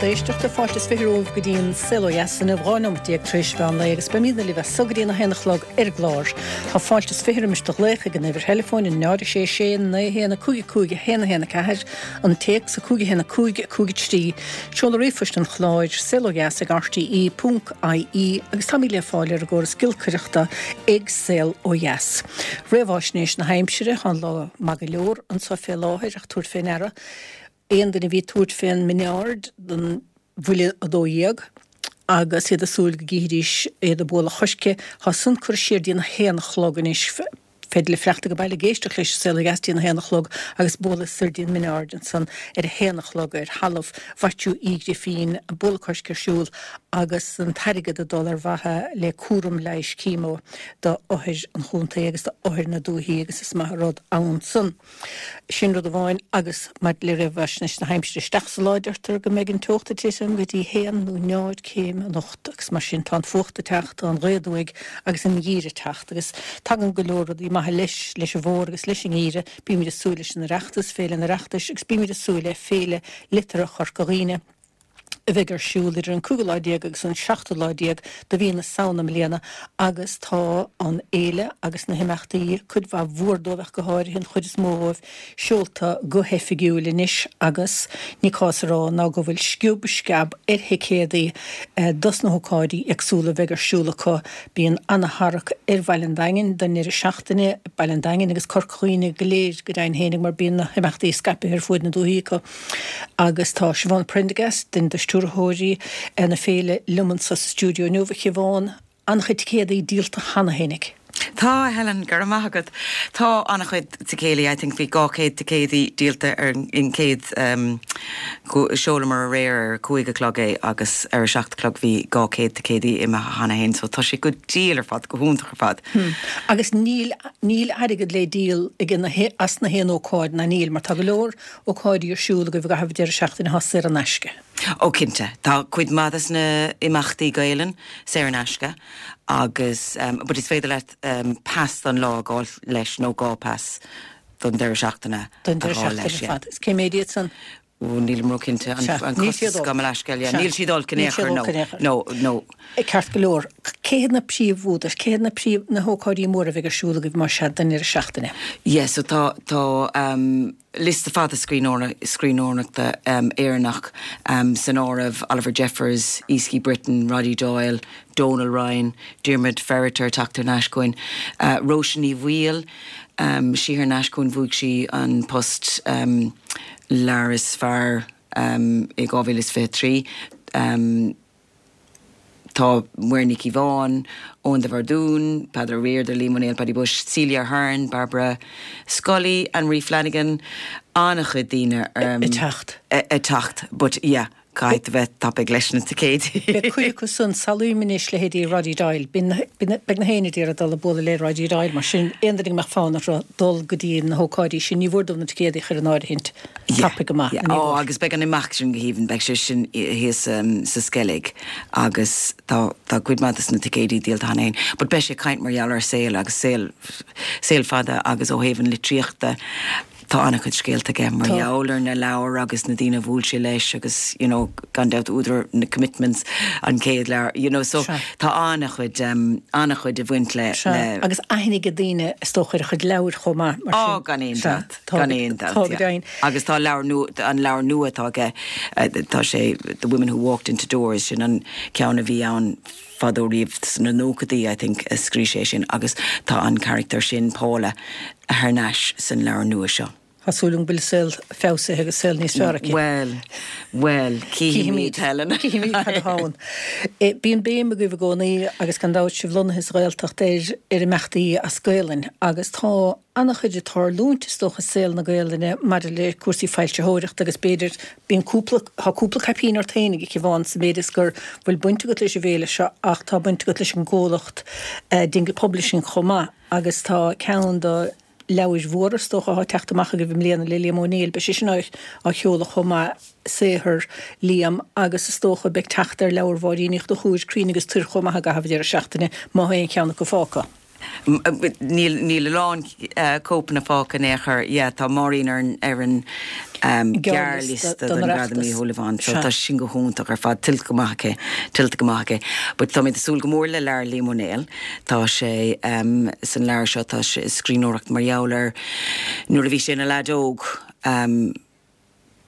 lucht éisteachta. Fáilte is 20 romhaibh go dtí an Saol Ó Dheas inniu, 12 nóimeat tar éis mheán lae agus beimidne libh as so go dtí an 1 a chlog ar an gclár. Tá fáilte is 20 roimis do ghlaoch ag an uimhir theileafóin, 0 6 6 9 1 5 5 1 1 4, an téacs 5 1 5 5 3, seoladh ríomhphoist an chláir, saolodheas ag rte ponc ie agus táimid le fáil ar an gcóras giolcaireachta ag Saol Ó Dheas. Réamháisnéis na haimsire, tá an lá maith go leor anso fé láthair ach tabhair fé ndeara, Aon duine a bhí ag tabhairt fén Minaird don bhuille 12 agus iad ag súil go gcífidís iad ag bualadh choirce, tá san curtha siar dtí an haon a chlog anois. Féidir libh fanacht ag baile ag éisteacht leis an Saol Ó Dheas dtí an haon a chlog agus bualadh soir dtí an Minaird ansan ar a haon a chlog ar thalamh Mhaitiú Uí Ghrifín, bualadh coirce ar siúl agus an t-airgead ag dul ar mhaithe le cúram leighis chemo do othair an chontae agus do othair na dúichí agus is maith an rud ann san. Sin rud amháin agus maidir le réamhaisnéis na haimsire isteach sa lá deirtear go mbeidh an teocht ag titim go dtí haon nó náid céim anocht agus mar sin tá an fuacht ag teacht, tá an ghaoth aduaidh agus an geimhreadh ag teacht agus tagann go leor rudaí maithe leis, leis an bhfómhar agus leis an ngeimhreadh. Bímid ag súil leis an Oireachtas, Féile an Oireachtais agus bímid ag súil le Féile Liteartha Chorca Dhuibhne. a bheidh ar siúl idir an cúigiú lá déag agus an seachtú lá déag de mhí na Samhna i mbliana agus tá an fhéile agus na himeachtaí, cuid mhaith mhór dóibh ach go háirithe an chuid is mó dhóibh, seolta go hoifigiúil anois agus ní cás a rá ná go bhfuil sciob sceab ar thicéadaí dos na hócáidí éagsúla a bheidh ar siúl acu. Bíonn ana-tharrac ar Bhaile an Daingin don ndeireadh seachtaine, Baile an Daingin agus Corca Dhuibhne go léir go deimhin fhéinig mar bíonn na himeachtaí scaipthe ar fuaid na dúichí acu. Agus tá Siobhán Prendergast, duine de stiúrthóirí na féile, liom anso sa stiúideo inniu. A Shiobhán, an-chuid ticéadaí díolta cheana fhéinig. Tá, a Helen, go raibh maith agat. Tá an-chuid ticéadaí, I think bhí 200 ticéadaí díolta ar an gcéad, sheolamar aréir ar a cúig a chlog é agus ar a seacht a chlog bhí 200 ticéadaí imithe cheana féin so tá sé go diail ar fad, go hiontach ar fad. Agus níl, níl airgead le díol ag na, as na haon ócáid ná níl mar tá go leor ócáidí ar siúl agaibh i gcaitheamh an deireadh seachtaine atá saor in aisce. Ó cinnte. Tá cuid mhaith des na imeachtaí Gaelainn saor in aisce agus but is féidir leat pas don lá a fháil leis nó dhá pas don deireadh seachtaine a fháil leis. Don deireadh seachtaine ar fad. Is cé méid iad san? Ó nílim ró-chinnte an costas gabh mo leithscéal yeah. Níl siad olc in aon chor no. No, no. Ceart go leor. Cé hiad na príomhúdair, cé hiad na príomh, na hócáidí móra a bheidh ar siúl agaibh más ea don deireadh seachtaine? Yeah so tá, tá liosta fada scríbhneoireachta Éireannach san áireamh, Oliver Jeffers, Easkey Britton, Roddy Doyle, Donal Ryan, Diarmaid Ferriter ag teacht thar n-ais chugainn, Róise Ní Bhaoill, sí thar n-ais chugainn, bhuaigh sí an post leabhar is fearr i 2023. Tá Muireann Nic Cíobháin, Eoin de Bhardún, Peadar Ó Riada, Liam Ó Néill, Paddy Bushe, Celia Ahern, Barbara Scully, Anne Marie Flanagan, an-chuid daoine ag teacht. Ag teacht, but yeah, caithfidh tú bheith tapaidh leis na ticéidí. Beidh cuid acu san, samhlaím anois leithéidí Roddy Doyle, beidh na héinne ag iarraidh dul ag bualadh le Roddy Doyle, mar sin aon duine go mbeadh fonn orthu dul go dtí na hócáidí sin, ní mhór dóibh na ticéadaí a chur in áirithint. Tapaidh go maith, ní mhór. Agus beidh an imeacht sin go haoibhinn, beidh sé sin thíos sa Sceilg agus tá tá cuid maith de na ticéidí díolta cheana féin. But beidh sé ag caint mar gheall ar saol agus saol saol fada agus ó thaobh an litríochta tá an-chuid scéalta aige mar gheall ar na leabhair agus na daoine a bhuail sé leis agus you know gan dabht údar na Commitments an chéad leabhar you know so tá an-chuid an-chuid ag bhaint le le Agus aithne ag daoine is dócha ar a chuid leabhair chomh maith mar sin. Á gan aon dabht. Gan aon dabht, yeah. Agus tá leabhar nua, an leabhar nua atá aige, tá sé The Women Who Walked Into Doors, sin an ceann a bhí ann fadó riamh sna nóchaidí, I think, a scríobh sé sin agus tá an carachtar sin, Paula, thar n-ais san leabhar nua seo. Tá súil agam go bhfuil a saol feabhsaithe agus saol níos fearr aici. Bhuel, bhuel, cífimid, Helen. Cífimid cad atá ann. Bíonn béim agaibh i gcónaí agus gan dabht sibh lonnaithe sa Ghaeltacht ar ar imeachtaí as Gaelainn agus tá an-chuid ag tarlúint, is dócha, i saol na Gaelainne maidir le cúrsaí foilsitheoireachta agus b'fhéidir, bíonn cúpla, tá cúpla caipín ort féinig, a Shiobhán, sa mhéid is gur bhfuil baint agat leis an bhféile seo ach tá baint agat leis an gcomhlacht Dingle Publishing chomh maith agus tá ceann de leabhair mhóra, is dócha, atá ag teacht amach agaibh i mbliana le Liam Ó Néill, beidh sé sin á sheoladh chomh maith, saothar Liam, agus is dócha beidh teacht ar leabhar Mháirín Uí Chonchúir, Cruinn agus Tuir chomh maith i gcaitheamh an deireadh seachtaine, má tá aon cheann acu fágtha. Níl níl a lán cóipeanna fágtha in aon chor. Yeah, tá Máirín ar an ar an gearrliosta don Ghradam Uí Shúilleabháin so tá sin go hiontach ar fad, tuillte go maith aici, tuillte go maith aici. But táimid ag súil go mór le leabhar Liam Ó Néill. Tá sé san leabhar seo tá sé scríbhneoireacht mar gheall ar nuair a bhí sé ina leaid óg,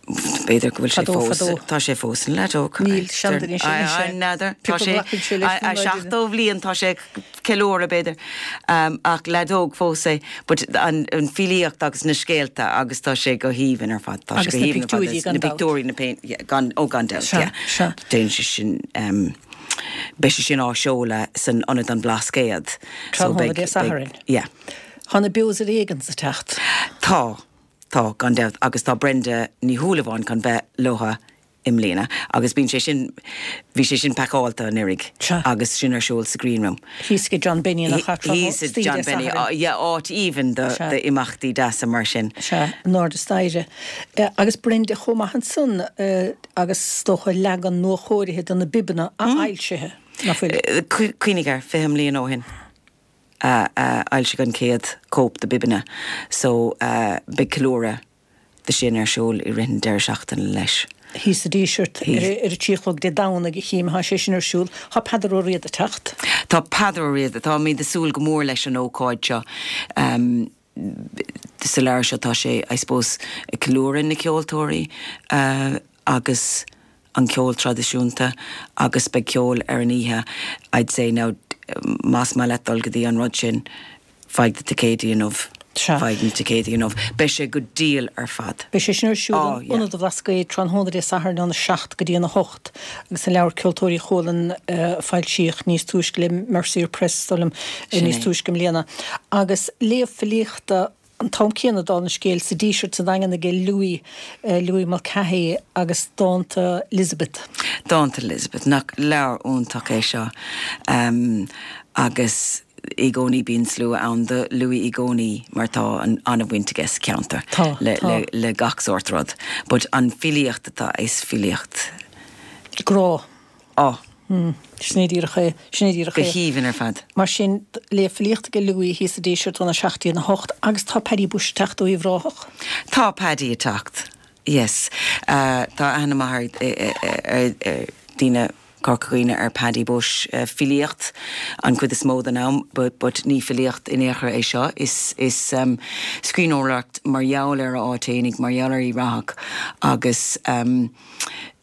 B'fhéidir go bhfuil sé Fadó, fós, fadó. tá sé fós ina leaid óg. Níl, seanduine sin anois é. N'fheadar, tá Pioc a sé, ghlacann sé leis faoin a láidir. 70 bhliain, tá sé ag ceiliúradh b'fhéidir, ach leaid óg fós é. But an an filíocht agus na scéalta agus tá sé go haoibhinn ar fad, tá sé Agus go na haoibhinn ar fad, pictiúirí gan na dabht. pictiúirí, na péint, yeah, gan, ó gan dabht, Sea, yeah. sea. Déanann sé sin, beidh sé sin á seoladh san Ionad An Blascaod. So Tráthnóna beidh, Dé beidh, Sathairn. yeah. Tá na Beos ar Éigean ag teacht. Tá. Tá, gan dabht, agus tá Brenda Ní Shúilleabháin chun bheith leotha i mbliana agus bíonn sé sin, bhí sé sin pacáilte anuraidh Sea. agus sin ar siúl sa Green Room. Thíos ag John Benny nach ea, tráthnóna Thíos ag John Dé Benny, Sathairn. yeah, áit aoibhinn do Sea. d'imeachtaí deasa mar sin. Sea, in airde staighre. Agus Brenda chomh maith ansan agus is dócha leagan nuachóirithe de na Bibeanna athfhoilsithe, nach bhfuil? Cuimhnigh air, 20 mbliana ó shin. a fhoilsigh an chéad cóip de Bibeanna so beidh ceiliúradh de sin ar siúl i rith an deireadh seachtaine leis. Thíos sa Díseart ar a 3 a chlog Dé Domhnaigh a chím atá sé sin ar siúl. Tá Peadar Ó Riada ag teacht. Tá Peadar Ó Riada, táimid ag súil go mór leis an ócáid seo. Sa leabhar seo tá sé, I suppose, ag ceiliúradh na ceoltóirí agus an ceol traidisiúnta agus beidh ceol ar an oíche, I'd say now más maith leat dul go dtí an rud sin, faigh do ticéidí inniu, Sea. faigh na ticéidí inniu. Beidh sé go diail ar fad. Beidh sé sin ar siúl Oh in yeah. Ionad an Bhlascaoid tráthnóna Dé Sathairn óna 7 go dtí an 8 agus an leabhar Ceoltóirí Chualann a foilsíodh níos túisce le Mercier Press, is dóigh liom, Sin níos é. túisce i mbliana. Agus léamh filíochta an t-am céanna dála an scéil sa Díseart sa Daingean aige Louis, Louis Mulcahy agus Dánta Elizabeth. Dánta Elizabeth, nach leabhar iontach é seo agus i gcónaí bíonn slua ann do Louis i gcónaí mar tá an-bhaint aige sa cheantar Tá, le, tá. le, le gach sórt rud. But an filíocht atá, is filíocht. Grá. Á. Sin é díreach é. Sin é díreach Go é. haoibhinn ar fad. Mar sin, léamh filíochta aige Louis thíos sa Díseart óna 7 dtí an 8 agus tá Paddy Bushe ag teacht ó Uíbh Ráthach. Tá Paddy ag teacht. Yes. Tá aithne maith ar ar daoine Corca Dhuibhne ar Paddy Bushe. Filíocht an chuid is mó den am but but ní filíocht in aon chor é seo. Is is scríbhneoireacht mar gheall ar a áit fhéinig, mar gheall ar Uíbh Ráthach agus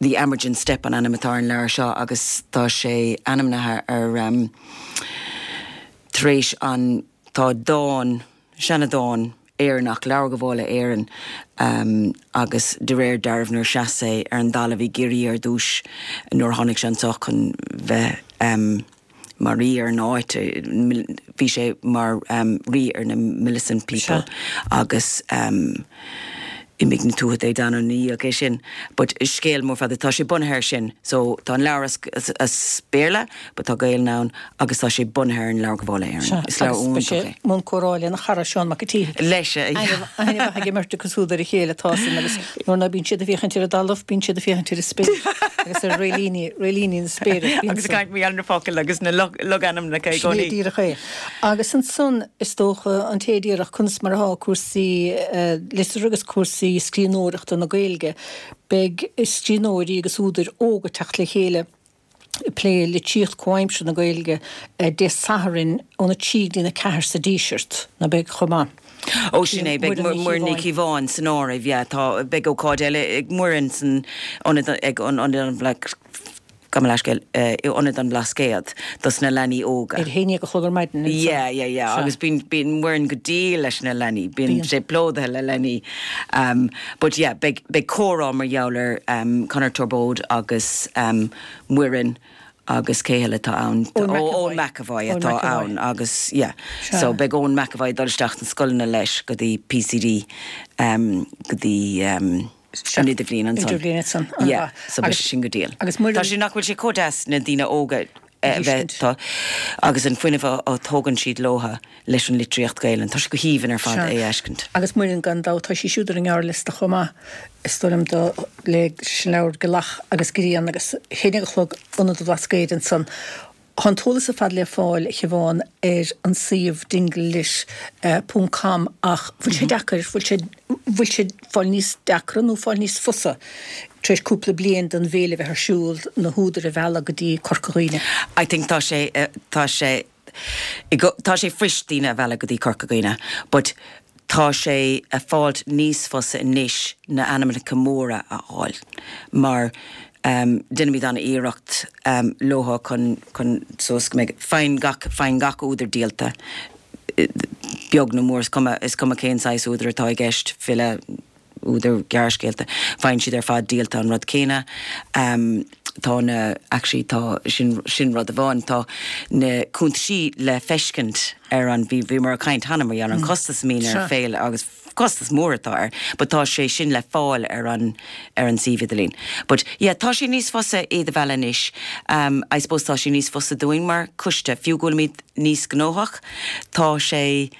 The Amergin Step an ainm atá ar an leabhar seo agus tá sé ainmnithe ar tar éis an tá dán, seanadán Éireannach, Leabhar Gabhála Éireann agus de réir dealraimh nuair a sheas sé ar an dtalamh i gCiarraí ar dtúis nuair a tháinig sé anseo chun bheith mar rí ar an áit, bhí sé mar rí ar na Milesian people agus d'imigh na Tuatha Dé Danann ina dhiaidh é sin. But scéal mór fada, tá sé bunaithe air sin. So tá an leabhar as as Béarla but tá Gaelainn ann agus tá sé bunaithe ar an Leabhar Gabhála Éireann. Is leabhar Agus beidh iontach sé é. i mbun comhrá lena chara Seán Mac an tSíthigh. Leis, yeah. Aithne mhaith ag an mbeirt acu siúd ar a chéile tá san agus nuair ná bíonn siad ag féachaint ar an dtalamh bíonn siad ag féachaint ar an spéir agus ar réilíní, réilíní na spéire. Bíonn Agus ag san. caint mar gheall ar na focail agus na logainmneacha i Sin é gcónaí. díreach é. Agus ansan is dócha an té a déarfadh conas mar atá cúrsaí liteartha agus cúrsaí scríbhneoireachta na Gaeilge, beidh scríbhneoirí agus údair óga ag teacht le chéile ag plé litríocht comhaimseartha na Gaeilge Dé Sathairn óna 3 go dtí na 4 sa Díseart, ná beidh chomh maith? Ó sin é, beidh Muireann Ní Chíobháin san áireamh, yeah, tá, beidh ócáid eile ag Muireann san ionad, ag an Ionad an Gabh mo leithscéal, i Ionad an Bhlascaoid dos na leanaí óga. Ar a haon déag a chlog ar maidin ansan. Yeah, yeah, yeah, agus bíonn, bíonn Muireann go diail leis na leanaí, bíonn sé plódaithe le leanaí. Um, but yeah, beidh, beidh comhrá mar gheall ar um, Conor Torbóid agus um, Muireann agus cé eile atá ann? Eoin Ó, McEvoy. Eoin McEvoy Eoin atá McEvoy. ann agus yeah, Sea. so beidh Eoin McEvoy ag dul isteach sna scoileanna leis go dtí PCD um, go dtí um, an idirbhliain ansan. Idirbhliain ansan, Yeah, an-mhaith. so beidh Agus- sé sin go diail. agus Muireann- Tá sé, nach bhfuil sé chomh deas na daoine óga A a bheith, thuiscint. tá, agus an fuinneamh a, a thógann siad leotha leis an litríocht Gaelainn. Tá sé go haoibhinn ar fad Sea. é a fheiscint. Agus Muireann gan dabht, tá sí siúd ar an ngearrliosta chomh maith, is dóigh liom, do, leis an leabhar Gealach agus Grian agus a haon déag a chlog Ionad an Bhlascaoid ansan. Tá an t-eolas ar fad le fáil, a Shiobhán, ar an suíomh dinglelit ponc com ach bhfuil sé deacair, bhfuil sé, bhfuil sé fáil níos deacra nó fáil níos fusa tar éis cúpla bliain den bhféile a bheith ar siúl, na húdair a mhealladh go dtí Corca Dhuibhne? I think tá sé, tá sé, tá sé fuirist daoine a mhealladh go dtí Corca Dhuibhne but tá sé a fáilt níos fusa anois na ainmneacha móra a fháil mar déanaimid an-iarracht leo chun, chun suas go mbeidh, faigheann gach, faigheann gach údar díolta, beag nó mór, is cuma, is cuma cén saghas údar atá i gceist, file, údar gearrscéalta, faigheann siad ar fad díolta an rud céanna. Tá na, actually tá, sin, sin rud amháin, tá na cuntaisí le feiscint ar an, bhí, bhíomar ag caint cheana mar gheall ar an chostas a mbíonn ar féile agus costas mór atá air, but tá sé sin le fáil ar an, ar an suíomh idirlín. But yeah, tá sé níos fusa iad a mhealladh anois. I suppose tá sé níos fusa dúinn mar choiste, fiú go bhfuilimid níos gnóthach, tá sé,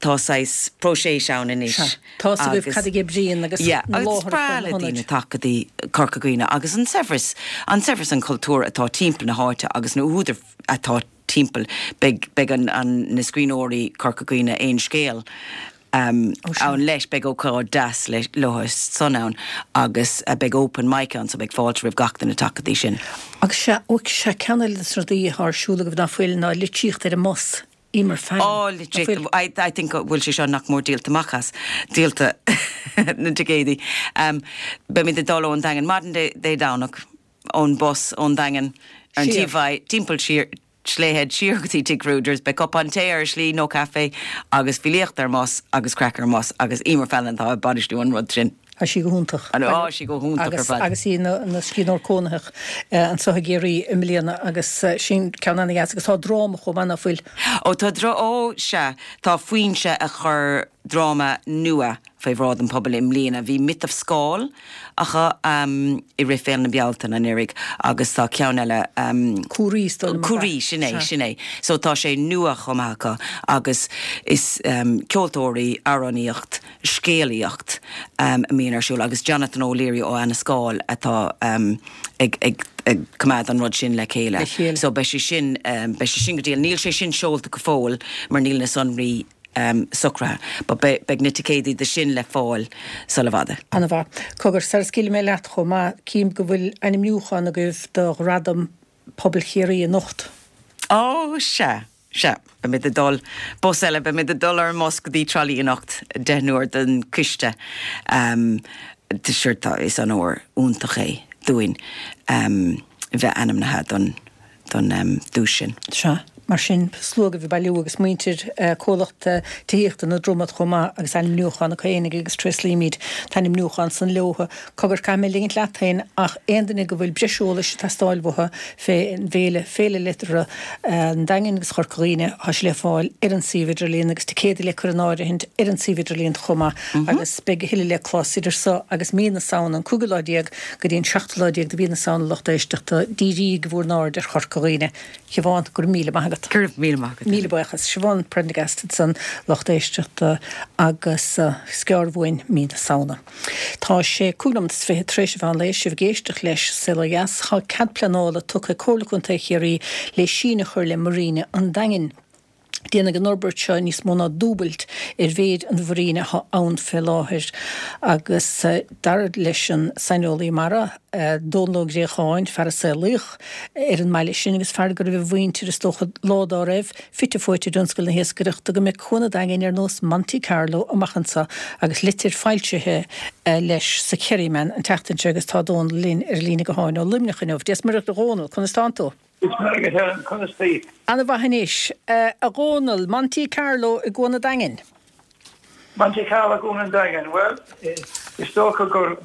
tá saghas próiseas ann anois. Sea. Tá 'fhios agaibh cad a oibríonn agus na láithreacha, na hionaid. Is breá le daoine teacht go dtí Corca Dhuibhne agus an saibhreas, an saibhreas an chultúir atá timpeall na háite agus na húdair atá timpeall. Beidh, beidh an, an, na scríbhneoirí Corca Dhuibhne Aon Scéal ann leis, beidh ócáid deas le, leo san ann agus beidh open mic ann so beidh fáilte roimh gach duine teacht go dtí sin. Agus sea, ó sea, ceann eile de na rudaí atá ar siúl agaibh ná fuil ná litríocht ar an mbus. Emer Fallon. Ó, litríocht, I, I think go bhfuil sé seo nach mór díolta amach as, díolta na ticéidí. Beimid ag dul ón Daingean maidin Dé, Dé Domhnach, ón bus ón Daingean ar an T5, timpeall siar, Slea Head siar go dtí Tigh Rogers, beidh cupán tae ar an slí nó caife agus filíocht ar an mbus agus craic ar an mbus agus Emer Fallon atá ag bainistiú an rud sin. Tá sí go hiontach. Tá sí go hiontach ar fad. Agus í ina scríbhneoir cónaitheach anseo i gCiarraí i mbliana agus sin ceann ana-dheas agus tá dráma chomh maith ná fuil? Ó tá drá, ó sea, tá Foinse ag cur dráma nua faoi bhráid an phobail i mbliana. Bhí Miotail Scáil acu i rith Féile na Bealtaine anuraidh agus tá ceann eile. Cúraí is dóigh liom. Cúraí, sin é, sin é. So tá sé nua chomh maith acu agus is ceoltóirí, amhránaíocht, scéalaíocht a mbíonn ar siúl agus Jonathan O'Leary ó Annascaul atá ag ag coimeád an rud sin le chéile. So beidh sé sin beidh sé sin go diail. Níl sé sin seolta go fóill mar níl na sonraí socraithe but beidh beidh na ticéidí do sin le fáil sula bhfada. Ana-mhaith. Cogar, sara scaoilfidh mé leat chomh maith, cím go bhfuil ainmniúchán agaibh do Ghradam Pobail Chiarraí anocht. Ó, sea. Sea, beimid ag dul, bus eile, beimid ag dul ar an mbus go dtí Trá Lí anocht, deichniúr den choiste. Sure, tá, is onóir iontach é dúinn bheith ainmnithe don, don duais sin. Sea, mar sin, slua agaibh ag bailiú agus muintir comhlacht tithíochta na Dromad chomh maith agus ainmniúchán acu fhéinig agus tréaslaímid an t-ainmniúchán san leothu. Cogar, caithfidh mé ligint leat féin ach aon duine go bhfuil breis eolais ag teastáil uathu fén bhféile, Féile Liteartha an Daingin agus Chorca Dhuibhne, tá sé le fáil ar an suíomh idirlíon agus ticéadaí le cur in áirithint ar an suíomh idirlíon chomh maith agus beidh a thuilleadh le clos idir so agus mí na Samhna, an cúigiú lá déag go dtí an seachtú lá déag de mhí na Samhna lucht éisteachta, dírígí bhur n-aird ar Chorca Dhuibhne. Siobhán, go raibh míle maith agat. Go raibh míle maith agat. Míle buíochas. Siobhán Prendergast ansan, lucht éisteachta agus is gearr uainn mí na Samhna. Tá sé 25 nóiméad tar éis an mheán lae, sibh ag éisteacht leis Saol Ó Dheas. Tá cead pleanála tugtha ag Comhairle Contae Chiarraí le síneadh a chur le Marina an Daingin. Déanfaidh an fhorbairt seo níos mó ná dúbailt ar mhéid an mharíne atá ann fé láthair agus dar leis an saineolaí mara, Dónal Ó Gréacháin, fear a saolaíodh ar an mbaile sin agus fear go raibh a mhuintir, is dócha, lá dá raibh, fite fuaite i dtionscal na hiascaireachta, go mbeidh Cuan an Daingin ar nós Monte Carlo amach anseo agus litir foilsithe leis sa Kerryman an tseachtain seo agus tá Dónal linn ar an líne gutháin ó Luimneach inniu. Dia is Muire dhuit a Dhónaill, conas tánn tú? Dia is Muire dhuit Helen, conas taoi? Ana mhaith anois. A Dhónaill, Monte Carlo i gCuan an Daingin? Monte Carlo i gCuan an Daingin, bhuel, is dócha gur,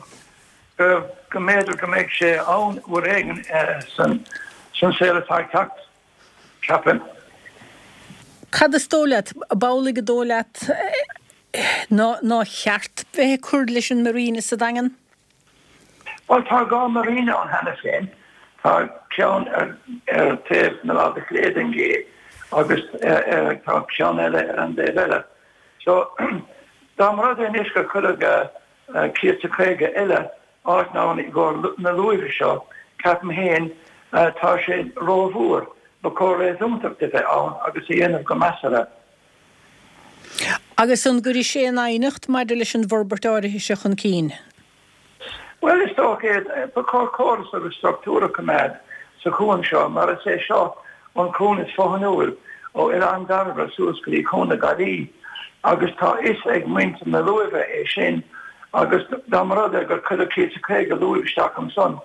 go mb'fhéidir go mbeidh sé ann uair éigin san saol atá ag teacht. Ceapaim. Cad is dóigh leat, ab amhlaidh an dóigh leat nár cheart bheith ag cur leis an marina sa Daingean? Bhuel, tá 2 marina ann cheana féin. Tá ceann ar taobh na láimhe clé den gcé agus tá ceann eile ar an dtaobh eile. So, dá mba rud é anois gur cuireadh 150 eile áit ann i gcomhair na luaimhe seo, ceapaim féin, tá sé rómhór. Ba chóir réasúntacht a bheith ann agus a dhéanamh go measartha. Agus an gcuirfidh sé aon aighneacht maidir leis an bhforbairt áirithe seo chun cinn? Bhuel, is dócha é. Ba chóir córas agus struchtúr a choimeád sa chuan seo mar is é seo an cuan is fothainiúil ó Oileán Dairbhre suas go dtí Cuan na Gaillí agus tá fhios ag muintir na luaimhe é sin agus dá mba rud é gur cuireadh 150 luaimh isteach ansan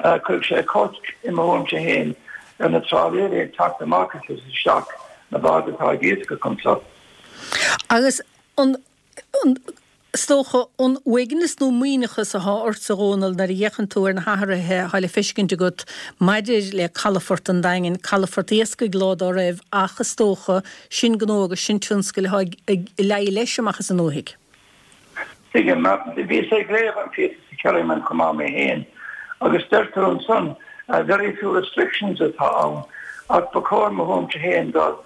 chuirfeadh sé cosc, i mo thuairimse féin, ar na trálaeirí ag teacht amach is isteach na báid atá ag iascach anso. Agus an, an, is dócha, an uaigneas nó maoithneachas athá ortsa, a Dhónaill, nuair a fhéachann tú ar na hathruithe athá le feiscint agat maidir le calafort an Daingin, calafort iascaigh lá dá raibh ach is dócha, sin gnó agus sin tionscail athá ag, ag leí leis amach as an ndúthaigh. Tuigim. Bhíos ag léamh an phíosa sa Kerryman chomh maith mé féin agus deirtear ansan very few restrictions atá ann ach ba chóir mo thuairimse féin dul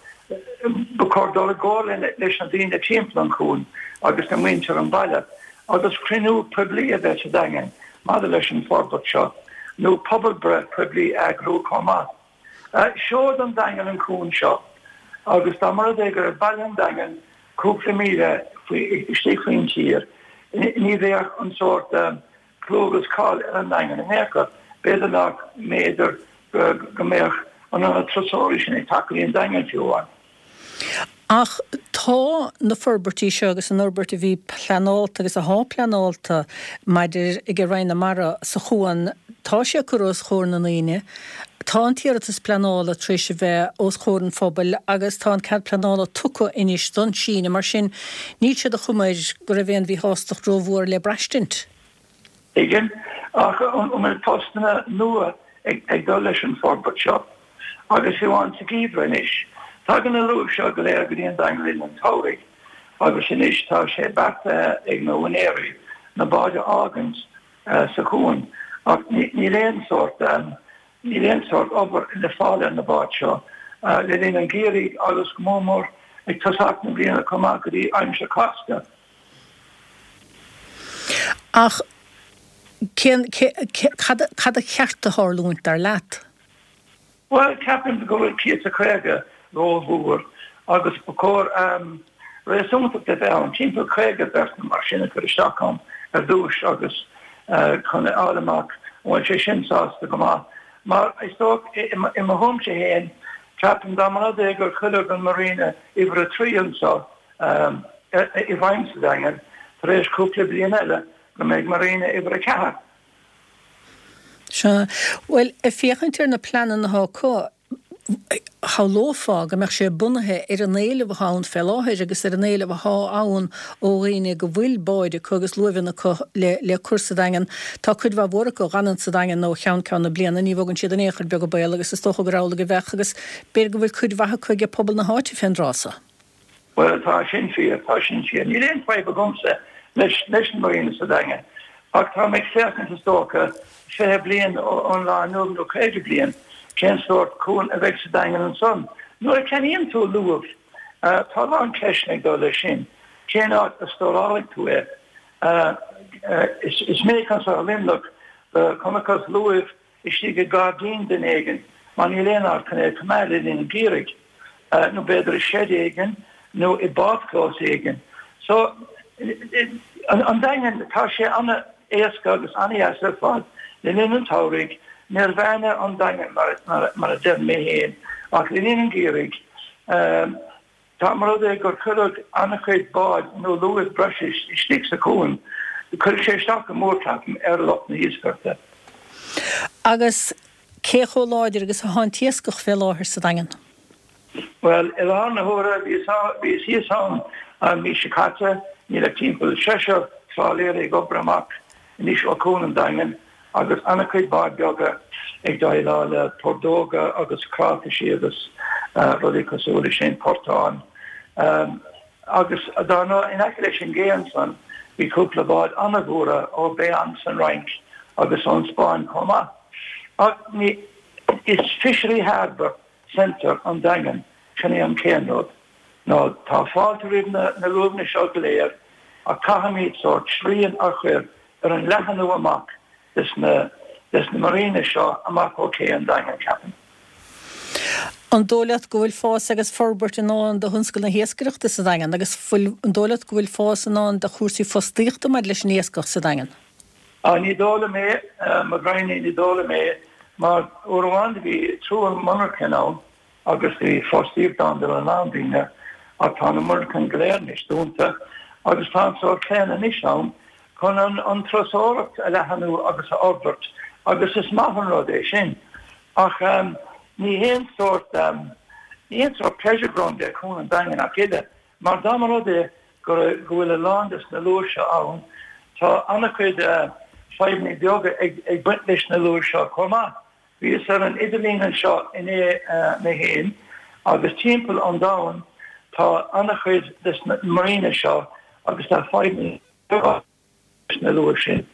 ba chóir dul i gcomhairle leis na daoine timpeall an chuain agus le muintir an bhaile agus cruinniú poiblí a bheith sa Daingean maidir leis an forbairt seo nó pobalbhreith poiblí a eagrú chomh maith. Seoid an Daingean an cuan seo agus dá mba rud é go raibh baile an Daingin cúpla míle istigh faoin tír ní bheadh an sórt clú agus cáil ar an nDaingean in aon chor. B'fhéidir nach mb'fhéidir go mbeadh an ionad turasóirí sin ag teacht go dtí an Daingean fiú amháin. Ach tá na forbairtí seo agus an fhorbairt a bhí pleanálta agus athá pleanálta maidir ag Roinn na Mara sa chuan, tá sé curtha os chomhair na ndaoine, tá an t-iarratas pleanála tar éis a bheith os chomhair an phobail agus tá an cead pleanála tugtha anois don síneadh. Mar sin, níl sé de chuma air go raibh aon mhíshástacht rómhór le braistint. Tuigim. Ach an bhfuil postanna nua ag dul leis an forbairt seo? Agus fiú amháin sa gheimhreadh anois. Tagann na luaimh seo go léir go dtí an Daingean le linn an tsamhraidh agus anois tá sé beartaithe ag na húinéirí na báid a fhágaint sa chuan ach níl aon sórt níl aon sórt obair le fáil ar na báid seo le linn an gheimhridh agus go mór mór ag tosach na bliana chomh maith go dtí aimsir Cásca. Ach cén cé cad cad ba cheart a tharlúint dar leat? Bhuel, ceapaim go bhfuil 150 rómhór agus ba chóir réasúntacht a bheith ann, timpeall 50 beart nó mar sin a chur isteach ann ar dtús agus chun a fháil amach an bhfuil sé sin sásta go maith. Mar is dócha, i mo thuairimse féin, ceapaim dá mba rud é gur cuireadh an Marina uimhir a 3 anseo i bhfeidhm sa Daingean tar éis cúpla bliain eile go mbeidh Marina uimhir a 4. Sea. Bhuel, ag féachaint ar na pleananna atá acu, shamhlófá go mbeadh sé bunaithe ar an éileamh atá ann fé láthair agus ar an éileamh atá ann ó dhaoine go bhfuil báid acu agus luaimheanna acu le le cur sa Daingean. Tá cuid mhaith mhór acu a dh'fhanann sa Daingean ó cheann ceann na bliana, ní bhogann siad in aon chor beag an baol agus is dócha gur amhlaidh a bheadh agus b'fhéidir go bhfuil cuid mhaith acu aige pobal na háite fén dtráth so. Bhuel, tá sin fíor, tá sin fíor. Níl aon fadhb agamsa leis leis an Marina sa Daingean, ach tá mé ag féachaint, is dócha, 20 bliain ón lá inniu nó 50 bliain, cén sórt cuan a bheidh sa Daingean ansan. Nuair a cheannaíonn tú luamh, tá a lán ceisteanna ag dul leis sin. Cén áit a stórálfaidh tú é? Is minic anso i Luimneach go chonacthas luaimh istigh i ngairdín duine éigin mar níl aon áit chun é a choimeád le linn an gheimhridh, nó b'fhéidir i seid éigin nó i bpáirtchlós éigin. So, an Daingean, tá sé an-éasca agus an-dheas ar fad le linn an tsamhraidh, Nirvana an Daingean mar a deirim mé féin, ach le linn an gheimhridh, Dá mba rud é gur cuireadh an-chuid bád nó luaimh breise istigh sa chuan, chuirfeadh sé isteach go mór, ceapaim, ar lucht na hiascaireachta. Agus cé chomh láidir agus atá an t-iascach fé láthair sa Daingean? Bhuel, i láthair na huaire, bhíos thíos ann an mhí seo caite, níl ach timpeall seisear trálaeirí ag obair amach anois ó Chuan an Daingin agus an-chuid báid beaga ag déileáil le tordóga agus cráifisí agus rudaí cosúil leis sin, portáin. Agus dar ndóigh, in aice leis an gcé ansan, bhí cúpla bád an-mhóra ó Bayonne san Fhrainc agus ón Spáinn chomh maith. Ach ní, is Fishery Harbour Centre an Daingean, sin é an chéad rud. Nó tá fáilte roimh na luaimheanna seo go léir ach caithfimid sórt srian a chur ar an leathanú amach des na des na marina seo amach ó ché an Daingin, ceapaim. An dóigh leat go bhfuil fás agus forbairt i ndán do thionscal na hiascaireachta sa Daingean agus fuil, an dóigh leat go bhfuil fás i ndán do chúrsaí fostaíochta maidir leis an iascach sa Daingean? Á, ní dóigh liom é, mo ghraidhin, ní dóigh liom é, mar uair amháin do bhí triúr monarchan ann agus bhí fostaíocht ann do a lán daoine ach tá na monarchain go léir anois dúnta agus tá an sórt plean anois ann chun an turasóireacht a leathanú agus a fhorbairt agus is maith an rud é sin ach ní haon sórt ní haon sórt pleasure ground é Cuan an Daingin ach oiread mar dá mba rud é go bhfuil a lán des na luaimh seo ann tá an-chuid fadhbanna beaga ag baint leis na luaimh seo chomh maith. Bhíos ar an idirlíon anseo inné mé féin agus timpeall an domhain tá an-chuid des na marina seo agus tá fadhbanna leis na luaimh sin.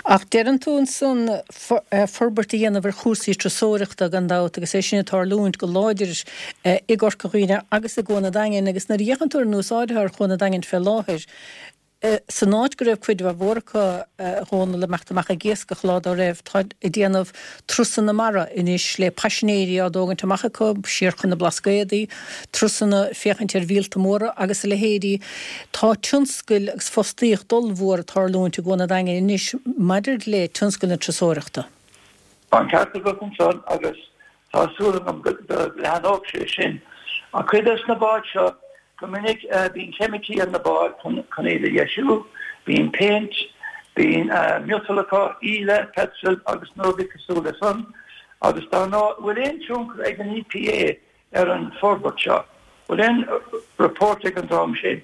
Ach deireann tú ansan forbairt a dhéanamh ar chúrsaí turasóireachta gan dabht agus é sin ag tarlúint go láidir i gCorca Dhuibhne agus i gCuan an Daingin agus nuair a fhéachann tú ar an úsáid atá ar Chuan an Daingin fé láthair, San áit go raibh cuid mhór acu, a Dhónaill, ag imeacht amach ag iascach lá dá raibh, tá ag déanamh turasanna mara anois le paisinéirí á dtógaint amach acu siar chun na Blascaodaí, turasanna féachaint ar mhíolta móra agus a leithéidí. Tá tionscail agus fostaíocht ollmhór ag tarlúint i gCuan an Daingin anois maidir le tionscal na turasóireachta. Tá an ceart agat ansan agus Tá súil agam go leathnóidh sé sin. Ach cuid des na báid seo, go minic bíonn ceimicí ar na báid chun iad a dheisiú, bíonn péint, bíonn miotal acu, íle, peitreal agus na rudaí cosúil le san. Agus dar ndóigh, bhfuil aon tionchar ag an EPA ar an forbairt seo? Bhfuil aon report ag an dream sin?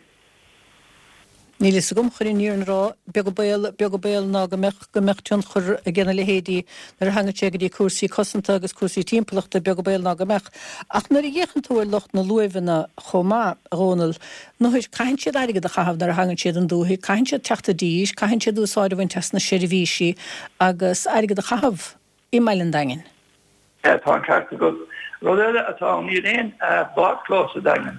Níl fhios agam, chun an fhírinne a rá, beag an baol, beag an baol ná go mbeadh, go mbeadh tionchar ag na leithéidí nuair a thagann sé go dtí cúrsaí cosanta agus cúrsaí timpeallachta, beag an baol ná go mbeadh. Ach nuair a fhéachann tú ar lucht na luaimheanna chomh maith, a Dhónaill, nuair, caitheann siad airgead a chaitheamh nuair a thagann siad an dúthaigh, caitheann siad teacht i dtír, caitheann siad úsáid a bhaint as na seirbhísí agus airgead a chaitheamh i mbaile an Daingin. Tá an ceart agat. Rud eile atá ann, níl aon bhádchlós sa Daingean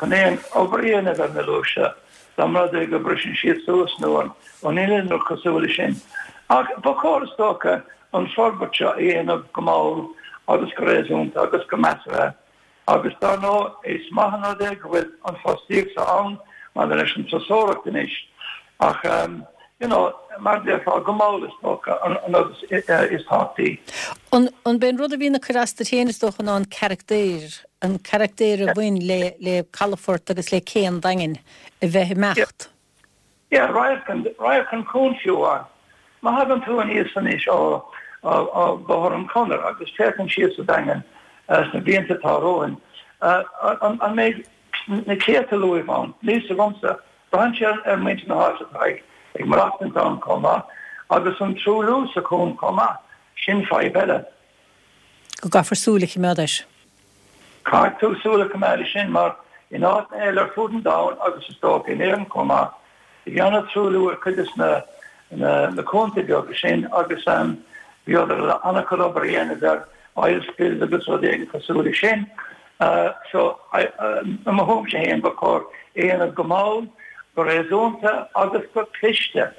chun aon obair a dhéanamh ar na luaimh seo, dá mba rud é go mbriseann siad suas nó an inneall nó cosúil leis sin. Ach ba chóir is dócha an forbairt seo a dhéanamh go mall agus go réasúnta agus go measartha. Agus dar ndóigh, is maith an rud é go bhfuil an fostaíocht seo ann maidir leis an turasóireacht anois, ach you know, mar a déarfá, go mall is dócha an rud is tábhachtaí. An b'é an rud a bhíonn ag cur as duit féin is dócha ná an carachtar, an carachtar a bhain le le calafort agus le cé an Daingin a bheith ag imeacht? Yeah, radharc an, radharc an chuain fiú amháin. Má thagann tú aníos anois ó, ó Bhóthar an Chonair agus féachaint síos sa Daingean sna blianta atá romhainn, an, an mbeidh na céadta luaimh ann? Níl 'fhios agamsa. Braitheann sé ar muintir na háite atá ag, ag maireachtaint ann chomh maith, agus an truailliú sa chuan chomh maith, sin fadhb eile. Go gcaithfear súil a choimeád air. Caithfidh tú súil a choimeád air sin mar in áiteanna eile ar fud an domhain agus is dócha in Éirinn chomh maith, bhí an-truailliú ar cuid de na cuanta beaga sin agus bhíodar an-chuid obair a dhéanamh ar oil spills agus rudaí éigin cosúil leis sin. So, i mo thuairimse féin, ba chóir é a dhéanamh go mall, go réasúnta agus go cliste.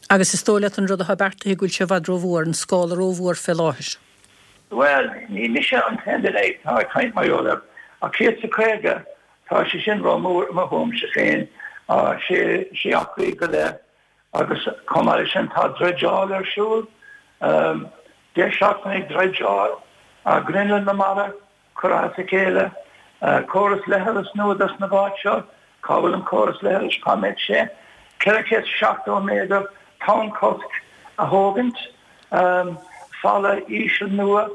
Agus is dóigh leat an rud atá beartaithe go bhfuil sé i bhfad rómhór, an scála rómhór fé láthair? Bhuel, ní mise an t-aon duine atá ag caint mar gheall air, ach 150, tá sé sin rómhór i mo thuairimse féin, sé, sé acraí go leith agus chomh maith leis sin tá dreideáil ar siúl, 10 seachtain ag dreideáil, grinneall na mara, curtha as a chéile, córas leithreas nua dos na báid seo, cá bhfuil an córas leithris, cá mbeidh sé, 470 méadar tonn-chosc a thógaint, falla íseal nua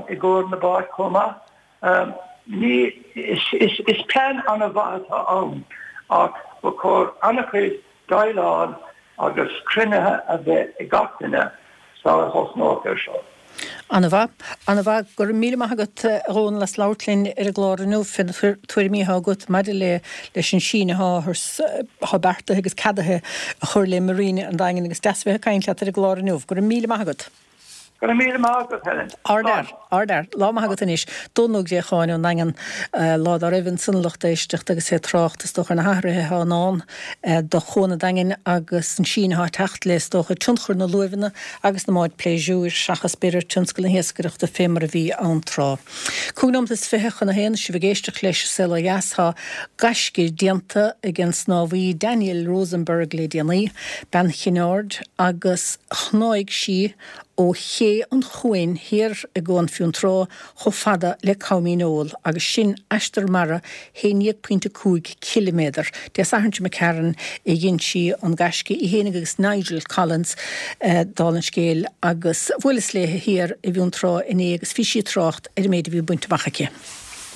i gcomhair na báid chomh maith. Ní, is plean an-mhaith atá ann ach ba chóir an-chuid déileáil agus cruinnithe a bheith ag gach duine sara thosnódh ar seo. An-mhaith. An-mhaith. Go raibh míle maith agat, a Dhónaill, as labhairt linn ar an gclár inniu fé na tuairimí atá agat maidir le leis an síneadh atá beartaithe agus ceadaithe a chur le Marina an Daingin agus deas a bheith ag caint leat ar an gclár inniu. Go raibh míle maith agat. Go raibh míle maith agat, Helen. Ardfhear, ardfhear. Lá maith agat anois. Dónal Ó Gréacháin ón nDaingean, lá dá raibh ansan a lucht éisteachta agus é ag trácht, is dócha, ar na hathruithe atá i ndán do Chuan an Daingin agus an síneadh atá ag teacht le, is dócha, tionchar na luaimheanna agus na mbád pléisiúir, seachas, b'fhéidir, tionscal na hiascaireachta fé mar a bhí ann tráth. 25 nóimeat chun a haon, sibh ag éisteacht leis An Saol Ó Dheas. Tá gaisce déanta ag an snámhaí Danielle Rosenberg le déanaí, bean Chinn Aird, agus shnáigh sí ó Ché an Chuain thiar i gCuan Fionntrá chomh fada le Com Dhíneol, agus sin aistear mara 11.5 ciliméadar. Dé Sathairn seo imigh tharainn a dhein sí an gaisce, í fhéinig agus Nigel Collins, dála an scéil, agus bhuaileas léithe thiar i bhFionntrá inné agus bhí sí ag trácht ar an méid a bhí bainte amach aici.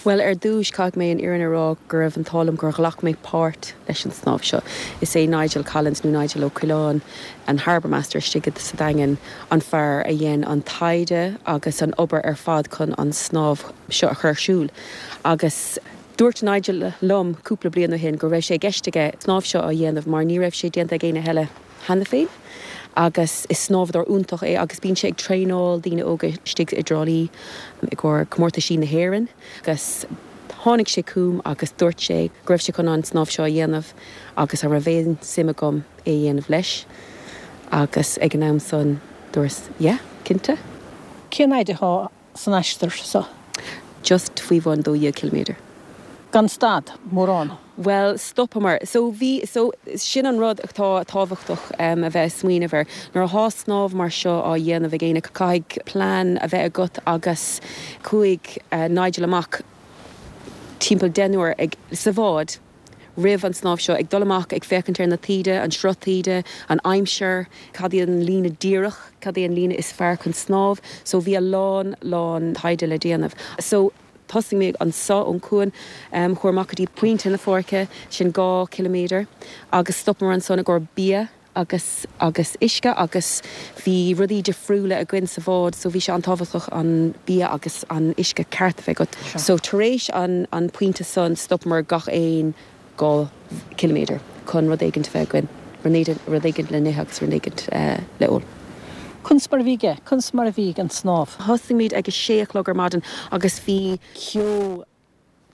Bhuel, ar dtúis, caithfidh mé an fhírinne a rá go raibh an t-ádh liom gur ghlac mé páirt leis an snámh seo. Is é Nigel Collins, nó Nigel Ó Coileáin, an Harbour Master istigh sa Daingean, an fear a dhein an taighde agus an obair ar fad chun an snámh seo a chur ar siúl. Agus dúirt Nigel liom cúpla bliain ó shin go raibh sé i gceist aige snámh seo a dhéanamh mar ní raibh sé déanta ag éinne eile cheana féin agus is snámhadóir iontach é agus bíonn sé ag traenáil daoine óga istigh i dTrá Lí i gcomhair comórtaisí na hÉireann agus tháinig sé chugam agus dúirt sé go raibh sé chun an snámh seo a dhéanamh agus an raibh aon suim agam é a dhéanamh leis agus ag an am san dúras yeah, cinnte. Cén fhaid atá san aistear seo? Just faoi bhun 12 ciliméadar. Gan stad, mórán. Bhuel, stopamar. So bhí, so sin an rud atá tábhachtach a bheith ag smaoineamh air. Nuair athá snámh mar seo á dhéanamh ag éinne, caithfidh plean a bheith agat agus chuaigh Nigel amach timpeall deichniúr ag, sa bhád, roimh an snámh seo, ag dul amach, ag féachaint ar na taoide, an sruth taoide, an aimsir, cad í an líne díreach, cad é an líne is fearr chun snámh. So bhí a lán, lán taighde le déanamh. So thosaigh mé anso ón cuan, chuamar amach go dtí Pointe na Páirce, sin 2 ciliméadar, agus stopamar ansan i gcomhair bia agus agus uisce agus bhí rudaí difriúla againn sa bhád so bhí sé an-tábhachtach an bia agus an uisce ceart a bheith agat. So tar éis an an pointe san stopamar gach aon 2 ciliméadar chun rud éigint a bheith againn, rud éigint le n-ithe agus rud éigint le ól. Conas mar a bhí aige? Conas mar a bhí an snámh? Thosaigh muid ag a sé a chlog ar maidin agus bhí ceo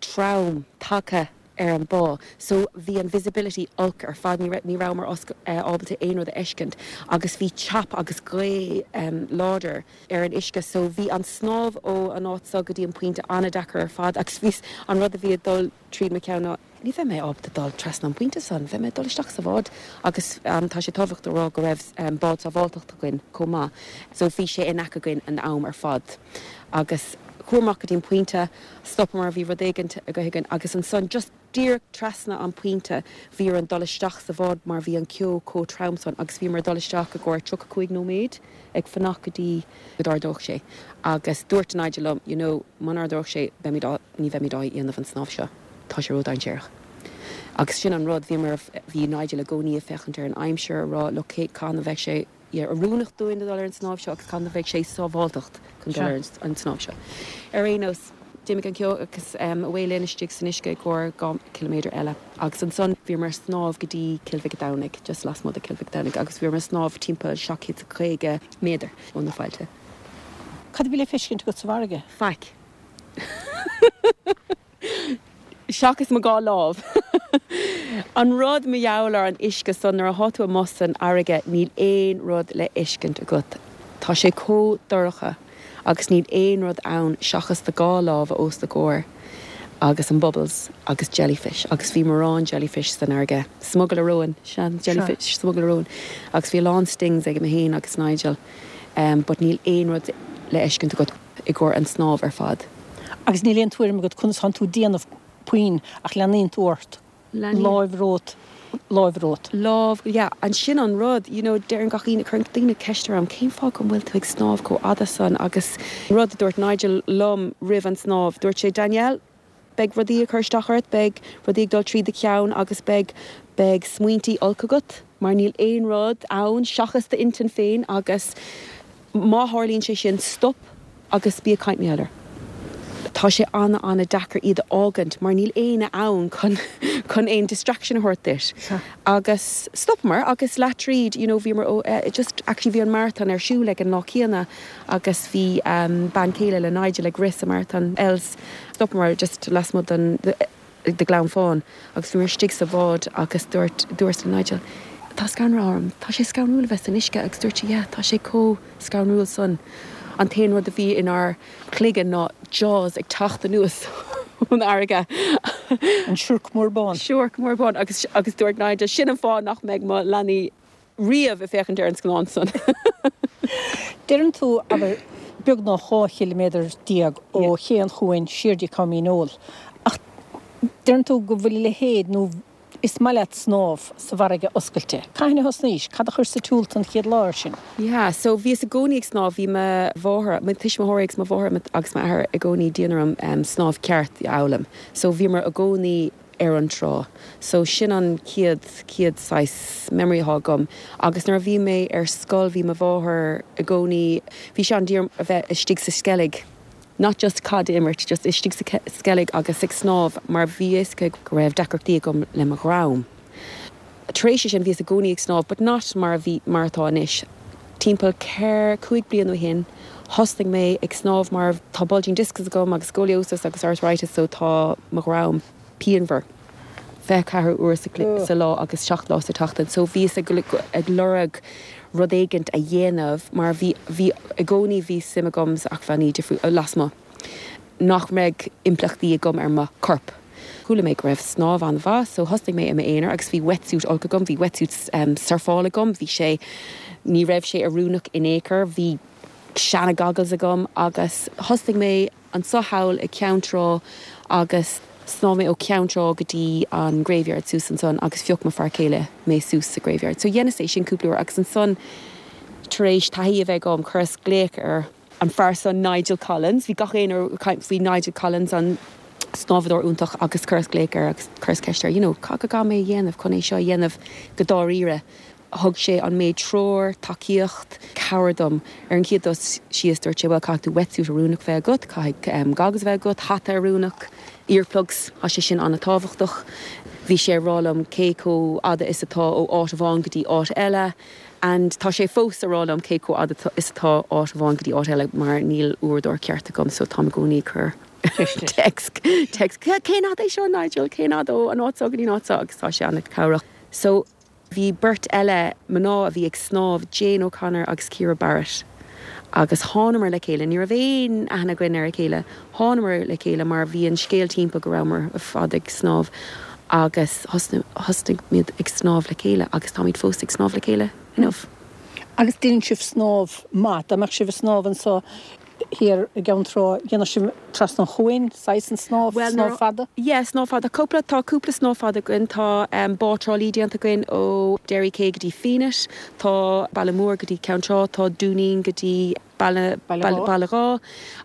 trom tagtha ar an bá so bhí an visibility olc ar fad, ní raibh, ní rabhamar ábalta aon rud a fheiscint agus bhí teap agus gaoth láidir ar an uisce so bhí an snámh ó an áit so go dtí an pointe an-deacair ar fad agus bhí an rud a bhí ag dul tríd mo cheann ná ní bheidh mé ábalta dul trasna an pointe san, beidh mé ag dul isteach sa bhád agus tá sé tábhachtach a rá go raibh bád sábháilteachta againn chomh maith so bhí sé in aice againn an am ar fad agus chuamar amach go dtí an pointe. Stopamar, bhí rud éigint againn agus ansan just díreach trasna an pointe bhí orainn dul isteach sa bhád mar bhí an ceo chomh trom san agus bhíomar ag dul isteach i gcomhair 35 nóiméad ag fanacht go dtí go d'ardódh sé agus dúirt Nigel liom you know muna ardódh sé beimid á ní bheimid á dhéanamh an snámh seo tá sé ródainséarach agus sin an rud bhíomar bhí Nigel i gcónaí ag féachaint ar an aimsir a rá look cathain a bheidh sé oiriúnach dúinn a dul ar an snámh seo agus cathain a bheidh sé sábháltacht chun dul ar an snámh seo. Ar aon nós, d'imigh an ceo agus away linn istigh san uisce i gcomhair 2 ciliméadar eile agus ansan bhíomar ag snámh go dtí Cill Mhic a' Domhnaigh, just lasmuigh de Cill Mhic a' Domhnaigh agus bhíomar ag snámh timpeall 750 méadar ó na faillte. Cad a bhí le feiscint agat sa bhfarraige? Faic. Seachas mo dhá lámh. An rud mar gheall ar an uisce san, nuair athá tú amuigh san fharraige níl aon rud le fheiscint agat. Tá sé chomh dorcha agus níl aon rud ann seachas do dhá lámha os do chomhair agus an bubbles agus jellyfish agus bhí mórán jellyfish san fharraige. Smugairle róin, sea, jellyfish, smugairle róin. Agus bhí a lán stings ag mé féin agus Nigel but níl aon rud le fheiscint agat. i gcomhair an snámh ar fad. Agus níl aon tuairim agat conas tánn tú ag déanamh puinn ach leanaíonn tú ort, láimh romhat, láimh romhat. Lámh, yeah, and sin an rud, you know, deireann gach aoinne, cuireann daoine ceist orm, cén fáth go bhfuil tú ag snámh chomh fhada san agus an rud a dúirt Nigel liom roimh an snámh, dúirt sé, Danielle, beidh rudaí ag cur isteach ort, beidh rudaí ag dul trí do cheann agus beidh, beidh smaointí olc agat mar níl aon rud ann seachas d'intinn féin agus má tharlaíonn sé sin, stop agus bí ag caint mar gheall air. Tá sé ana-ana-deacair iad a fhágaint mar níl éinne ann chun chun aon distraction a thabhairt duit. Agus stopamar agus leath tríd you know bhíomar ó eh just actually bhí an marathon ar siúl ag an lá céanna agus bhí bean chéile le Nigel ag rith sa marathon Els. Stopamar just lasmuigh den de Ghleann Fáin agus bhíomar istigh sa bhád agus dúirt dúras le Nigel tá scanradh orm, tá sé scanrúil a bheith san uisce agus dúirt sé yeah tá sé chomh scanrúil san. An t-aon rud a bhí inár gcloigeann ná Jaws ag teacht anuas ón fharraige. An siorc mór bán. Siorc mór bán agus agus dúirt Nigel sin an fáth nach mbeidh mo leanaí riamh ag féachaint ar an scannán san. Deireann tú, abair, beagnach 12 chiliméadar ó Ché an Chuain siar dtí Com Dhíneol, ach deireann tú go bhfuil a leithéid, nó is maith leat snámh sa bhfarraige oscailte. Cathain a thosnaís? Cad a chuir sa tsiúl tú an chéad lá air sin? Yeah, so bhíos i gcónaí ag snámh, bhí mo mháthair, mo tuismitheoirí agus mo mháthair agus m'athair i gcónaí dian orm snámh ceart a fhoghlaim. So bhíomar i gcónaí ar an trá. So sin an chéad, chéad saghas memory atá agam. Agus nuair a bhí mé ar scoil bhí mo mháthair i gcónaí, bhí sé an-dian orm a bheith istigh sa Sceilg, not just caid a imirt, just istigh sa Sceilg agus ag snámh mar bhí a fhios aici go raibh deacrachtaí agam le mo dhroim. Tar éis sin bhíos i gcónaí ag snámh but not mar a bhí, mar atá anois. Timpeall ceithre, chúig bliana ó shin thosnaigh mé ag snámh mar tá bulging discs agam agus scoliosis agus arthritis so tá mo dhroim pianmhar 24 uair sa lá agus 7 lá sa tseachtain so bhíos ag ag lorg rud éigint a dhéanamh mar bhí bhí i gcónaí bhí suim agam sa acmhainní difriúla lasmuigh. nach mbeadh impleachtaí agam ar mo chorp. Chuala mé go raibh snámh an-mhaith so thosnaigh mé i m'aonar agus bhí wetsuit olc agam, bhí wetsuit surfála agam, bhí sé, ní raibh sé oiriúnach in aon chor, bhí seana goggles agam agus thosnaigh mé anso thall i Ceann Trá agus shnámh mé ó Cheann Trá go dtí an graveyard suas ansan agus phioc mo fear céile mé suas sa graveyard. So dheineas é sin cúpla uair agus ansan tar éis taithí a bheith agam chuireas glaoch ar an fear san Nigel Collins. Bhí gach éinne ag caint faoi Nigel Collins, an snámhadóir iontach agus chuireas glaoch air agus chuireas ceist air, you know, cad a gcaithfidh mé a dhéanamh chun é seo a dhéanamh go dáiríre. Thug sé an méid treoir, tacaíocht, cabhair dom. Ar an chéad dul síos dúirt sé, bhuel, caithfidh tú wetsuit oiriúnach bheith agat, caithfidh goggles a bheith agat, hata oiriúnach, earplugs, tá sé sin an-tábhachtach. Bhí sé ag rá liom cé chomh fhada is atá ó áit amháin go dtí áit eile. And tá sé fós a rá liom cé chomh fhada is atá áit amháin go dtí áit eile mar níl uaireadóir ceart agam so táim i gcónaí ag cur text text cén fhad é seo Nigel cén fhad ó an áit seo go dtí an áit seo agus tá sé an-chabhrach. So bhí beirt eile mná a bhí ag snámh Jane O'Connor agus Ciara Barrett agus thánamar le chéile ní raibh aon aithne againn ar a chéile thánamar le chéile mar bhí an scéal timpeall go rabhamar ar fad ag snámh agus thosnaigh muid ag snámh le chéile agus táimid fós ag snámh le chéile inniu. Agus déanann sibh snámh maith. Dá mbeadh sibh ag snámh anso thiar i gCeann Trá, dhéanfadh sibh trasna an chuain, saghas an snámh, snámh fada? Yeah, snámh fada. Cúpla, tá cúpla snámh fada againn. Tá Bá Trá Lí déanta againn ó Derry Quay go dtí Fenit, tá Baile Móir go dtí Ceann Trá, tá Dúinín go dtí. Baile Átha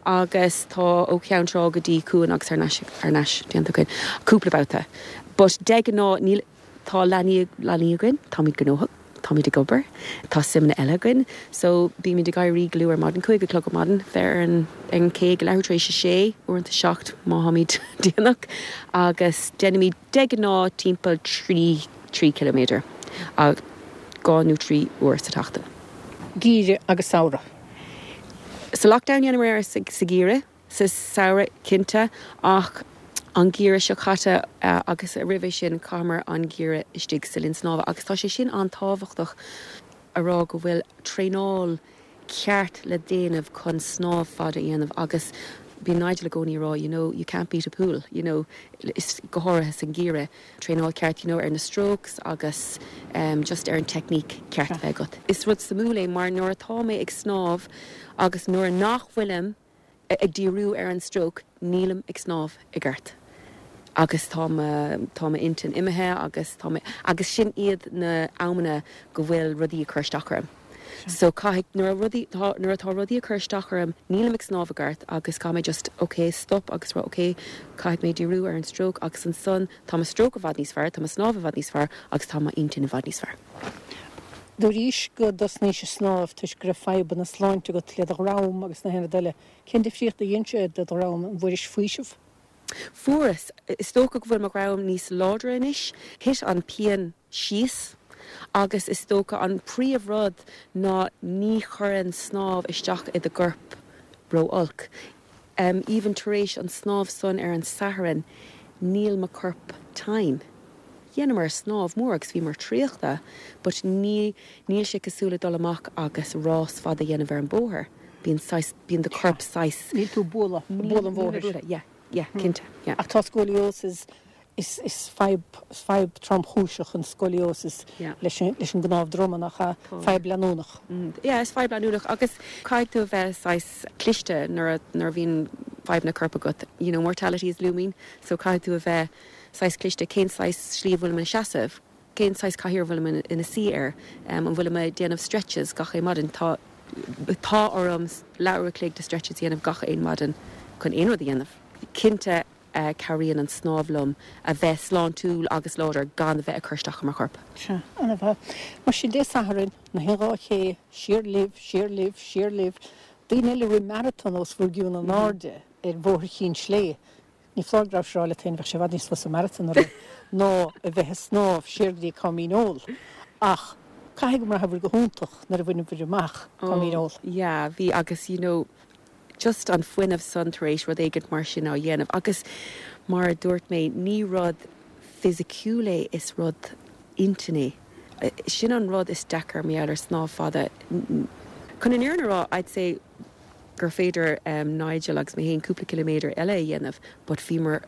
agus tá ó Cheann Trá go dtí Cuan agus thar n-ais thar n-ais déanta againn cúpla babhta. But de ghnáth níl tá leanaí leanaí againn, táimid gnóthach, táimid ag obair, tá suimeanna eile againn so bímid ag éirí go luath ar maidin, 5 a chlog ar maidin, bheith ar an ar an cé ag leathuair tar éis a sé, uaireanta 7 má tháimid déanach agus déanaimid de ghnáth timpeall 3 3 ciliméadar 2 nó 3 uair sa tseachtain. Geimhreadh agus samhradh. Sa lockdown dheineamar sa gheimhreadh, sa samhradh cinnte ach an geimhreadh seo caite agus roimhe sin chaitheamar an geimhreadh istigh sa linn snámha agus tá sé sin an-tábhachtach a rá go bhfuil traenáil ceart le déanamh chun snámh fada a dhéanamh agus bíonn Nigel i gcónaí ag rá you know you can't beat a pool you know is go háirithe san gheimhreadh. Traenáil ceart you know ar na strokes agus just ar an technique ceart a bheith agat. Is rud suimiúil é mar nuair atá mé ag snámh agus nuair nach bhfuilim ag díriú ar an stroke nílim ag snámh i gceart agus tá mo tá m'intinn imithe agus tá mé agus sin iad na amanna go bhfuil rudaí ag cur isteach orm. So caithfidh, nuair a rudaí, tá, nuair atá rudaí ag cur isteach orm, nílim ag snámh i gceart agus caithfidh mé just, ok, stop agus rá, ok, caithfidh mé díriú ar an stroke agus ansan tá mo stroke i bhfad níos fearr, tá mo snámh i bhfad níos fearr agus tá m'intinn i bhfad níos fearr. Dúraís go dtosnaís ag snámh toisc go raibh fadhbanna sláinte agat le do dhrom agus na haon rud eile. Cén difríocht a dhein sé do do dhrom? An bhfuairis faoiseamh? Fuaireas. Is dócha go bhfuil mo dhrom níos láidre anois. Thit an pian síos agus is dócha an príomh rud ná ní chuireann snámh isteach i do gcorp ró-olc. Even tar éis an snámh san ar an Satharn níl mo corp tinn. Dheineamar snámh mór agus bhíomar traochta but ní, níl sé cosúil le dul amach agus rás fada a dhéanamh ar an bóthar. Bíonn saghas, bíonn do corp saghas. Níl tú ag bualadh, ag bualadh an bhóthair. Yeah, yeah, cinnte, yeah. Ach tá scoliosis, is, is fadhb, is fadhb tromchúiseach an scoliosis leis an, leis an gcnámh droma, nach ea? Fadhb leanúnach. Yeah, is fadhb leanúnach agus caithfidh tú a bheith saghas cliste nuair a, nuair a bhíonn fadhbanna coirp agat. You know, mortality is looming so caithfidh tú a bheith saghas cliste, cén saghas slí a bhfuilim ina seasamh, cén saghas cathaoir a bhfuilim ina suí air, an bhfuilim ag déanamh stretches gach aon maidin, tá, tá orm leathuair a chloig de stretches a dhéanamh gach aon maidin chun aon rud a dhéanamh. Cinnte cabhraíonn an snámh liom a bheith sláintiúil agus láidir gan a bheith ag cur isteach ar mo chorp. Sea, ana-mhaith. Mar sin Dé Sathairn, na haon dá ché, siar libh, siar libh, siar libh. Daoine eile a rith maratón os bhur gcionn in airde ar Bhóthar Chinn Slé. Ní foláir go rabhais ag rá leat féin, bheadh sé i bhfad níos fusa maratón a rith ná a bheith ag snámh siar go dtí Com Dhíneol. Ach caithfidh go mbraitheabhair go hiontach nuair a bhaineabhair amach Com Dhíneol. Oh yeah, bhí agus you know just an fuinneamh san tar éis rud éigint mar sin á dhéanamh agus mar a dúirt mé ní rud fisiciúil é is rud intinne é. Sin an rud is deacair mar gheall ar snámh fada. Chun an fhírinne a rá I'd say gur féidir Nigel agus mé féin cúpla ciliméadar eile a dhéanamh but bhíomar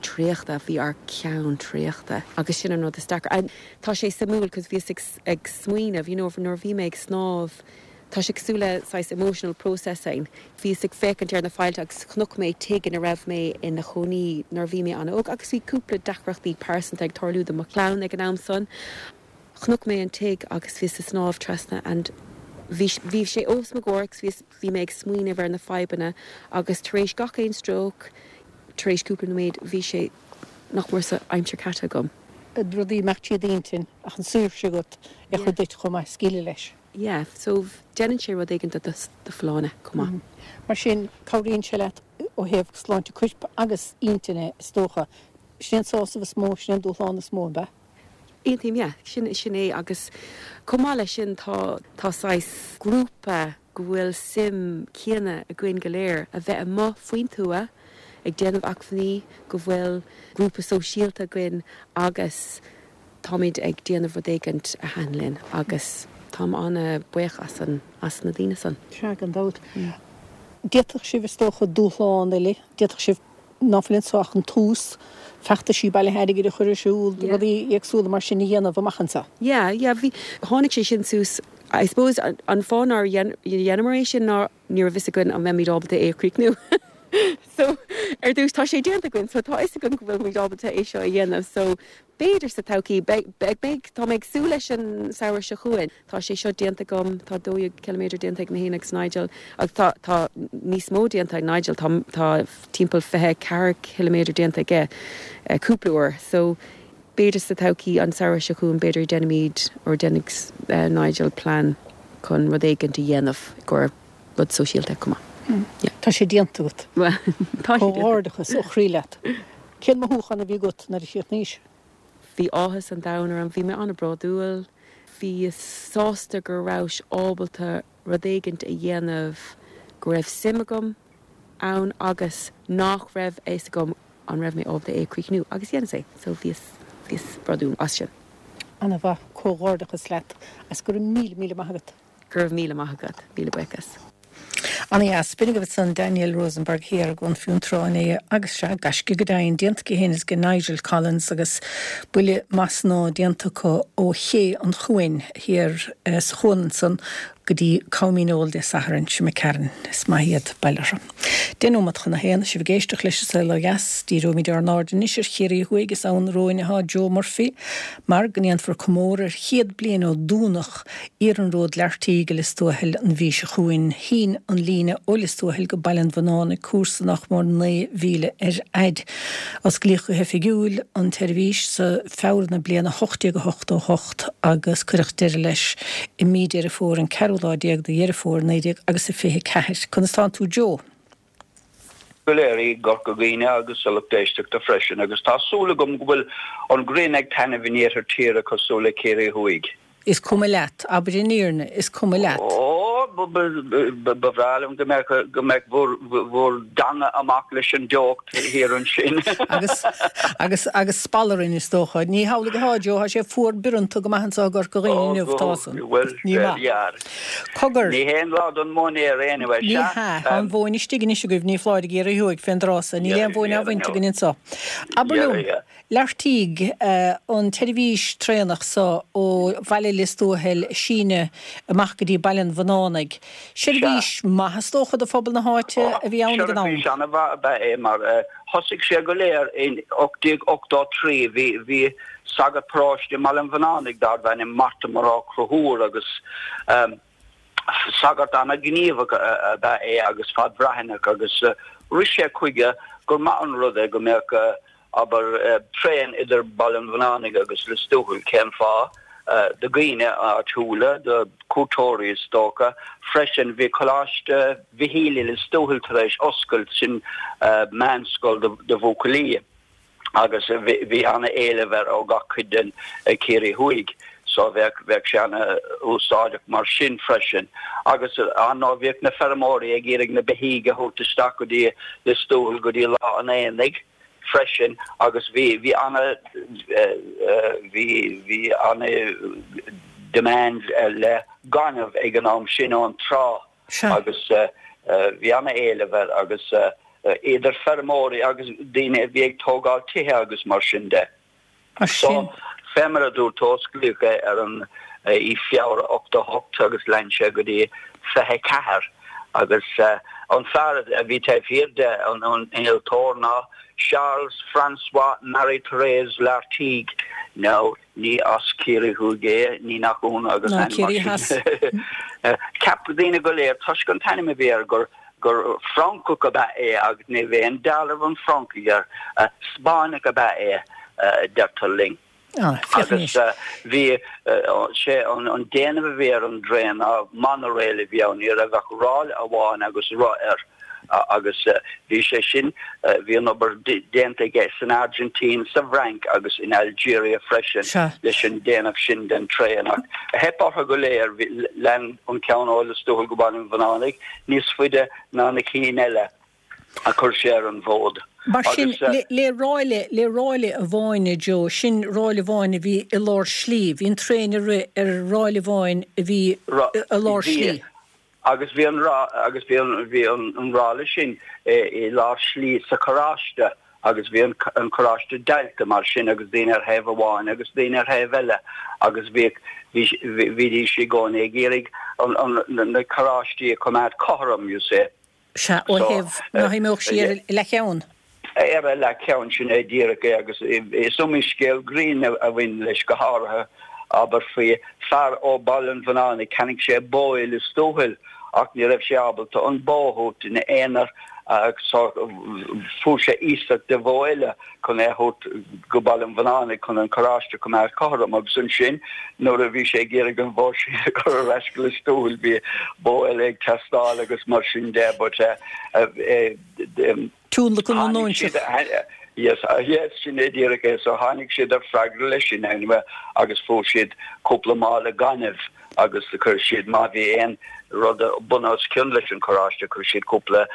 traochta, bhí ár ceann traochta agus sin an rud is deacra. And tá sé suimiúil cos bhíos ag ag smaoineamh you know nuair a bhí mé ag snámh tá sé cosúil le saghas emotional processing. Bhíos ag féachaint ar na faillte agus chonaic mé tigh ina raibh mé ina chónaí nuair a bhí mé an-óg agus bhí cúpla deacrachtaí pearsanta ag tarlú do mo chlann ag an am san. Chonaic mé an tigh agus bhíos ag snámh trasna and bhí bhí sé os mo gcomhair agus bhíos bhí mé ag smaoineamh ar na fadhbanna agus tar éis gach aon stróc, tar éis cúpla nóiméad bhí sé nach mór sa aimsir caite agam. Rudaí imeacht trí d'intinn ach an saoirse agat é a chur duit chomh maith scaoileadh leis. Yeah, so déanann sé rud éigin do do folláine chomh maith. Mar sin cabhraíonn sé leat ó thaobh sláinte coirp agus intinne is dócha. Sin é an sásamh is mó, sin é an dúshlán is mó, an ea? Aontaím, yeah. Sin, sin é agus chomh maith leis sin tá, tá saghas grúpa go bhfuil suim céanna againn go léir a bheith amuigh faoin tuath ag déanamh acmhainní, go bhfuil grúpa sóisialta againn agus táimid ag déanamh rud éigint a thaitin linn agus táim an-bhuíoch as an, as na daoine san. Sea, gan dabht. D'fhéadfadh sibh, is dócha, dúshlán eile, d'fhéadfadh sibh ná fuil anso ach an tús, feachtaisí bailithe airgid a chur ar siúl, rudaí éagsúla mar sin a dhéanamh amach anseo. Yeah, yeah, bhí, tháinig sé sin suas, I suppose an fáth nár dheineamar é sin ná ní raibh fhios againn an mbeimid ábalta é a chríochnú. So, ar dtús, tá sé déanta againn, so tá fhios againn go bhfuil muid ábalta é seo a dhéanamh, so b'fhéidir sa todhchaí, beidh, beidh, tá mé ag súil leis an samhradh seo chugainn. Tá sé seo déanta agam, tá 12 ciliméadar déanta ag mé féin agus Nigel, agus tá, tá níos mó déanta ag Nigel, tá, tá timpeall 24 ciliméadar déanta aige cúpla uair. So, b'fhéidir sa todhchaí, an samhradh seo chugainn, b'fhéidir déanfaimid, or déanfaidh Nigel plean chun rud éigint a dhéanamh i gcomhair rud sóisialta chomh maith. Yeah. Tá sé déanta agat. Bhuel, tá sé déanta. Comhghairdeachas ó chroí leat. Cén mothúchán a bhí agat nuair a chríochnaís? Bhí áthas an domhain orm, bhí mé an-bhródúil, bhíos sásta go rabhas ábalta rud éigint a dhéanamh go raibh suim agam ann agus nach raibh a fhios agam an raibh mé ábalta é a chríochnú agus dheineas é so bhíos, bhíos bródúil as sin. An-mhaith, comhghairdeachas leat agus go raibh míle, míle maith agat. Go raibh míle maith agat. Míle buíochas. Ana-dheas. B'in agaibh ansan Danielle Rosenberg thiar i gCuan Fionntrá inné agus sea, gaisce go deimhin déanta aici féin is ag Nigel Collins agus buille maith snámha déanta acu ó Ché an Chuain thiar sa chuan ansan. go dtí Coimíneol Dé Sathairn seo imigh tharainn. Is maith iad, bail orthu. 10 nóiméad chun a haon, sibh ag éisteacht leis An Saol Ó Dheas. Díreoimid ár n-aird anois ar Chiarraí Thuaidh, is ann romhainn atá Joe Murphy, mar go ndéanfar comóradh ar chéad bliain ó dúnadh iarnród Lartigue i Lios Tuathail an mhí seo chugainn. Shín an líne ó Lios Tuathail go Baile an Bhunánaigh cúrsa nach mór 9 mhíle ar fhaid. Osclaíodh go hoifigiúil an tseirbhís sa Feabhra na bliana 1888 agus cuireadh deireadh leis i mí Deireadh Fómhair, an ceathrú lá déag de Dheireadh Fómhair 19 agus a 24. Conas tánn tú Joe? go léir i gCorca Dhuibhne agus a lucht éisteachta freisin agus tá súil agam go bhfuil an ghrian ag taitneamh in iarthar tíre cosúil le Ciarraí Thuaidh. Is cuma leat, abair an fhírinne, is cuma leat. Ó, ba bhreá liom go mbeadh, go mbeadh bhur, bhur dteanga amach leis an dteocht thiar ansin. Agus, agus, agus spal orainn is dócha. Ní hamhlaidh atá, Joe, tá sé fuar bioranta go maith anseo i gCorca Dhuibhne inniu, tá san. Bhuel, Ní maith. there. Cogar. Ní haon lá don mhóinéar anyway, Ní sea. hea, tá an mhóin istigh anois agaibh, ní foláir i gCiarraí Thuaidh fén dtráth so. Níl aon mhóin á bhaint againn anseo. Abair liom. Lartigue, an tseirbhís traenach so ó bhaile Lios Tuathail a síneadh amach go dtí Baile an Bhunánaigh. Seirbhís maith is dócha do phobal na háite a bhí ann ag an am. Seirbhís an-mhaith ab ea é mar thosaigh sé go léir in 1883. Bhí bhí sagart paróiste i mBaile an Bhunánaigh darbh ainm Mortimer Ó Conchúir agus Sagart ana-ghníomhach ab ea é agus fadbhreathnach agus rith sé chuige gur maith an rud é go mbeadh, abair, traein idir Baile an Bhunánaigh agus Lios Tuathail. Cén fáth? Do dhaoine áitiúla, do chuairteoirí is dócha. Freisin bhí Coláiste Mhichíl i Lios Tuathail tar éis oscailt, sin meánscoil do bhuachaillí. agus bhí ana-éileamh air ó gach cuid den Ciarraí Thuaidh so bheadh bheadh sé ana-úsáideach mar sin freisin. Agus ar ndóigh bhíodh na feirmeoirí ag iarraidh na beithígh a thabhairt isteach go dtí Lios Tuathail go dtí lá an aonaigh freisin agus bhí bhí ana bhí bhí ana demand le gaineamh ag an am sin ón trá. agus bhí ana-éileamh air agus idir feirmeoirí agus daoine a bhí ag tógáil tithe agus mar sin de. So, fé mar a dúirt tú, osclaíodh é ar an i Feabhra 88 agus lean sé go dtí 24 agus an fear a bhí taobh thiar de, an innealtóir ná Charles François Marie Therese Lartigue. Now, Ní as Ciarraí Thuaidh é, ní nach ionadh agus Ná ainm Ciarraí mar Theas. sin. Cheap daoine go léir, toisc an t-ainm a bhí air, gur gur Francach ab ea é agus ní raibh aon dealramh an Fhrancaigh air. Spáinneach ab ea é, deirtear linn. Ah, féach Agus anois. bhí sé, an déanamh a bhí ar an dtraein ná monorail a bhí ann, ní raibh ach ráille amháin agus roth air. agus bhí sé sin, bhí an obair déanta aige san Airgintín, sa bhFrainc agus in Algeria freisin leis an déanamh sin den traein ach theip orthu go léir, lean an ceann ó Lios Tuathail go Baile an Bhunánaigh níos faide ná na cinn eile a chuir sé ar an bhfód. Mar sin, le ráille, le ráille amháin, a Joe, sin ráille amháin a bhí i lár slí, bhí an traein ag rith ar ráille amháin a bhí i lár slí. Agus bhí an agus bhí an bhí an an ráille sin i lár slí sa charráiste agus bhí an an carráiste deighilte mar sin agus daoine ar thaobh amháin agus daoine ar thaobh eile agus bhíodh bhí bhídís i gcónaí ag iarraidh an an na carráistí a choimeád cothrom, you see. Sea, ó thaobh nach imeodh sí ar a leathcheann. Ar a leathcheann, sin é díreach é agus is iomaí scéal grinn a bhain leis, go háirithe, abair, faoi fear ó Bhaile an Bhunánaigh, cheannaigh sé bó i Lios Tuathail ach ní raibh sé ábalta an bó a thabhairt ina aonar so fuair sé iasacht de bhó eile. chun é a thabhairt go Baile an Bhunánaigh chun an carráiste a choimeád cothrom agus ansin nuair a bhí sé ag iarraidh an bhó sin a chur ar ais go Lios Tuathail bhí bó eile ag teastáil agus mar sin de but Tionlacan na n-óinseach. Yes, yes, sin é díreach é. So tháinig siad ar freagra leis sin anyway agus fuair siad cúpla mála gainimh agus chuir siad, má bhí aon rud bun os cionn leis an charráiste, chuir siad cúpla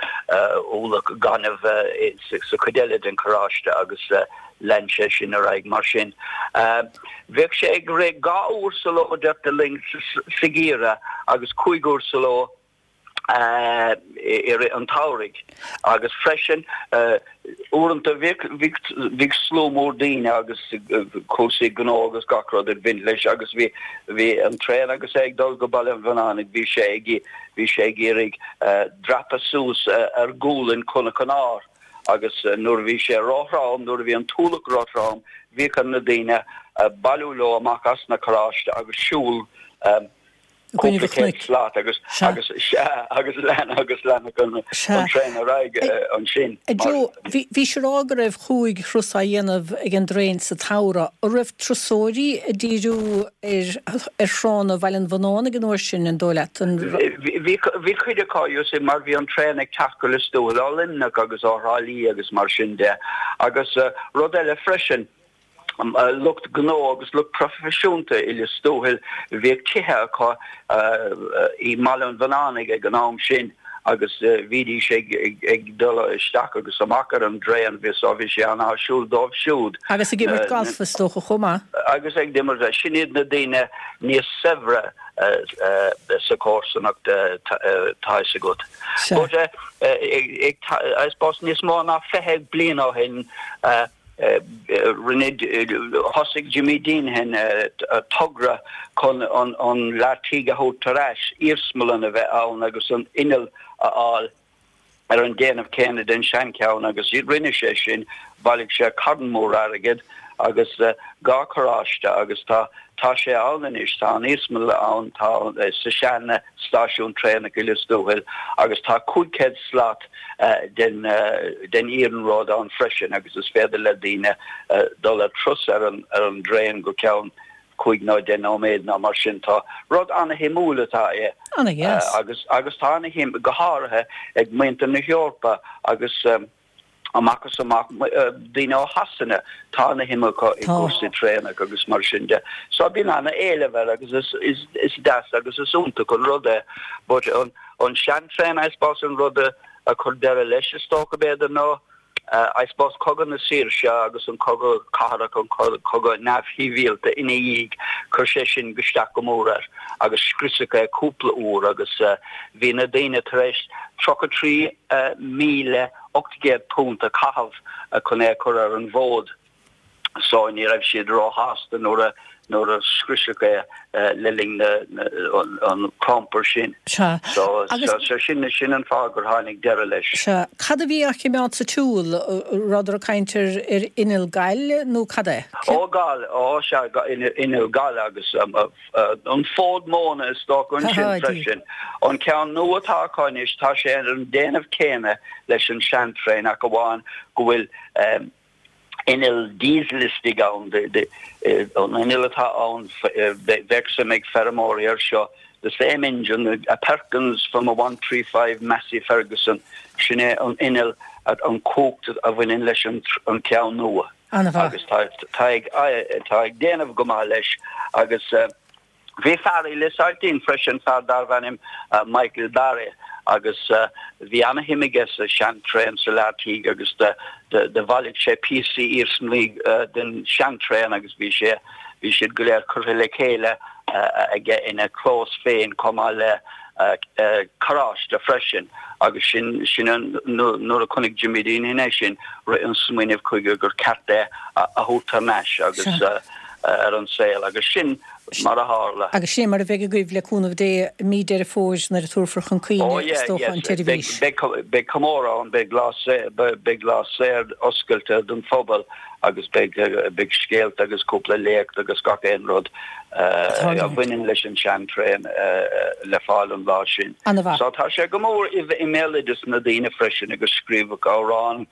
ualach gainimh sa chuid eile den charráiste agus lean sé sin ar aghaidh mar sin. Bheadh sé ag rith 2 uair sa ló, deirtear linn, sa gheimhreadh agus 5 uair sa ló. I rith an tsamhraidh agus freisin uaireanta bhíodh slua mór daoine agus cúrsaí gnó agus gach rud ag baint leis agus bhí bhí an traein agus é ag dul go Baile an Bhannánaigh bhí sé ag bhí sé ag iarraidh dreapadh suas ar ghualainn Chnoc an Áir agus nuair a bhí sé róthrom nuair a bhí an t-ualach róthrom bhíodh ar na daoine bailiú leo amach as na carráiste agus siúl Cúpla céad slat agus agus sea agus lean agus leanfadh an traein ar aghaidh ansin. A Joe, bhís ag rá go raibh chúig thuras á dhéanamh ag an dtraein sa tsamhradh. An raibh turasóirí ag díriú ar ar thránna Bhaile an Bhannánaigh an uair sin, an dóigh leat? Bhí bhí cuid acu, you see, mar bhí an traein ag teacht go Lios Tuathail ó Luimneach agus ó Thrá Lí agus mar sin de. Agus rud eile freisin, lucht gnó agus lucht proifisiúnta i Lios Tuathail, bhíodh tithe acu i mBaile an Bhannánaigh ag an am sin agus bhídís ag dul isteach agus amach ar an dtraein, bhí so bhí sé an-áisiúil dóibh siúd. Agus ag imirt galf is dócha chomh maith. Agus ag imirt, sin iad na daoine níos saibhre sa chomharsanacht tá fhios agat. But I suppose níos mó ná 20 bliain ó shin, Rinne, thosaigh Jimmy Deenihan togra chun an Lartigue a thabhairt ar ais, iarsmalann a bheith ann agus an inneall a fháil ar an déanamh céanna den seancheann agus rinne sé sin, bhailigh sé carn mór airgid agus dhá charráiste agus tá tá sé ann anois, tá an iarsmalann ann, tá sa sean stáisiún traenach i Lios Tuathail agus tá 500 slat den den iarnród ann freisin agus is féidir le daoine dul ar turas ar an ar an dtraein go ceann cúig nó deich nóiméad nó mar sin. Tá rud ana-shuimiúil atá é agus agus tá ana-shuim go háirithe ag muintir na hEorpa agus amach is amach, daoine ó Shasana, tá ana-shuim acu i gcúrsaí traenach agus mar sin de. So bíonn ana-éileamh air agus is, is, is deas agus is iontach an rud é. But an, an seantraein, I suppose, an rud a, a chuir deireadh leis is dócha b'fhéidir ná, I suppose, Cogadh na Saoirse agus an Cogadh Cathartha, an cogadh neamhshibhialta ina dhiaidh, chuir sé sin isteach go mór air agus scriosadh é cúpla uair agus bhí na daoine tar éis 33,000 £800 a chaitheamh chun é a chur ar an bhfód so ní raibh siad róshásta nuair a nuair a scriosadh é le linn na an clampar sin. Sea. So so sin sin an fáth gur tháinig deireadh leis. Sea. Cad a bhí á choimeád sa tsiúl? Rabhadar ag caint ar ar inneall gail nó cad é? Ó gal, ó sea, inneall gail agus An fód móna is dócha ansin freisin. An ceann nua atá acu anois, tá sé ar an déanamh céanna leis an seantraein ach amháin go bhfuil inneall diesel istigh ann. An inneall atá ann, bheadh suim ag feirmeoirí air seo, the same engine, a Perkins from a 135 Massey Ferguson, sin é an inneall, an cumhacht a bhaineann leis an ceann nua. An-mhaith. Agus tá, tá ag, tá ag déanamh go maith leis agus bhí fear i Lios Ailtín freisin, fear darbh ainm Michael Barry agus bhí ana-shuim aige sa seantraein sa Lartigue agus do, do, do bhailigh sé píosaí iarsmaí den seantraein agus bhí sé, bhí siad go léir curtha le chéile aige ina chlós féin chomh maith le carráiste freisin agus sin, sin an, nuair a chonaic Jimmy Deenihan é sin, rith an smaoineamh chuige gur ceart é a thabhairt thar n-ais agus ar an saol agus sin mar a tharla. Agus sin é mar a bheidh agaibh le cúnamh Dé i mí Deireadh Fómhair nuair a tabharfar chun cuimhne is dócha an tseirbhís. Beidh comóradh ann, beidh lá, beidh lá saor oscailte don phobal agus beidh beidh scéalta agus cúpla léacht agus gach aon rud a bhaineann leis an seantraein le fáil an lá sin. So tá sé go mór i mbéaloideas na daoine freisin agus scríobhadh amhráin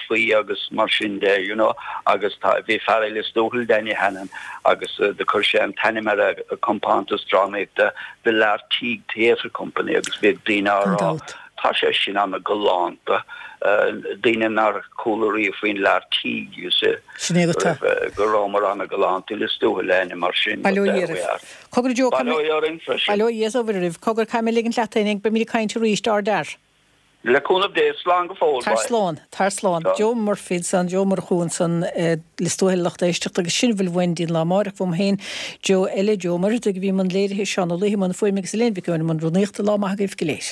faoi agus mar sin de, you know, agus tá bhí fear i Lios Tuathail, Danny Hannon, agus do chuir sé an t-ainm ar a compántas drámaíochta The Lartigue Theatre Company agus bhíodh daoine á rá Tá sé sin ana-ghalánta. Daoine nár chuala riamh faoin Lartigue, you see. Sin é agat. Go rabhamar ana-ghalánta i Lios Tuathail le ainm mar sin. Bail ó Dhia oraibh. Cogar Joe, Bail ó Dhia orainn freisin. Bail ó Dhia is ó Mhuire oraibh. Cogar, caithfidh mé ligint leat féin, beimid ag caint arís, ár d'fhear. Le cúnamh Dé, slán go fóill. Tar slán, tar slán. Joe Murphy ansan, Joe Murchú ansan i Lios Tuathail, a lucht éisteachta, agus sin a bhfuil uainn dtí'n lá amáireach uaim féin, Joe eile, Joe Ó Muircheartaigh a bhí i mbun léirithe, Seán Ó Laoithe i mbun fuaime agus Elaine Mhic Eoin i mbun rúnaíochta. Lá maith agaibh go léir.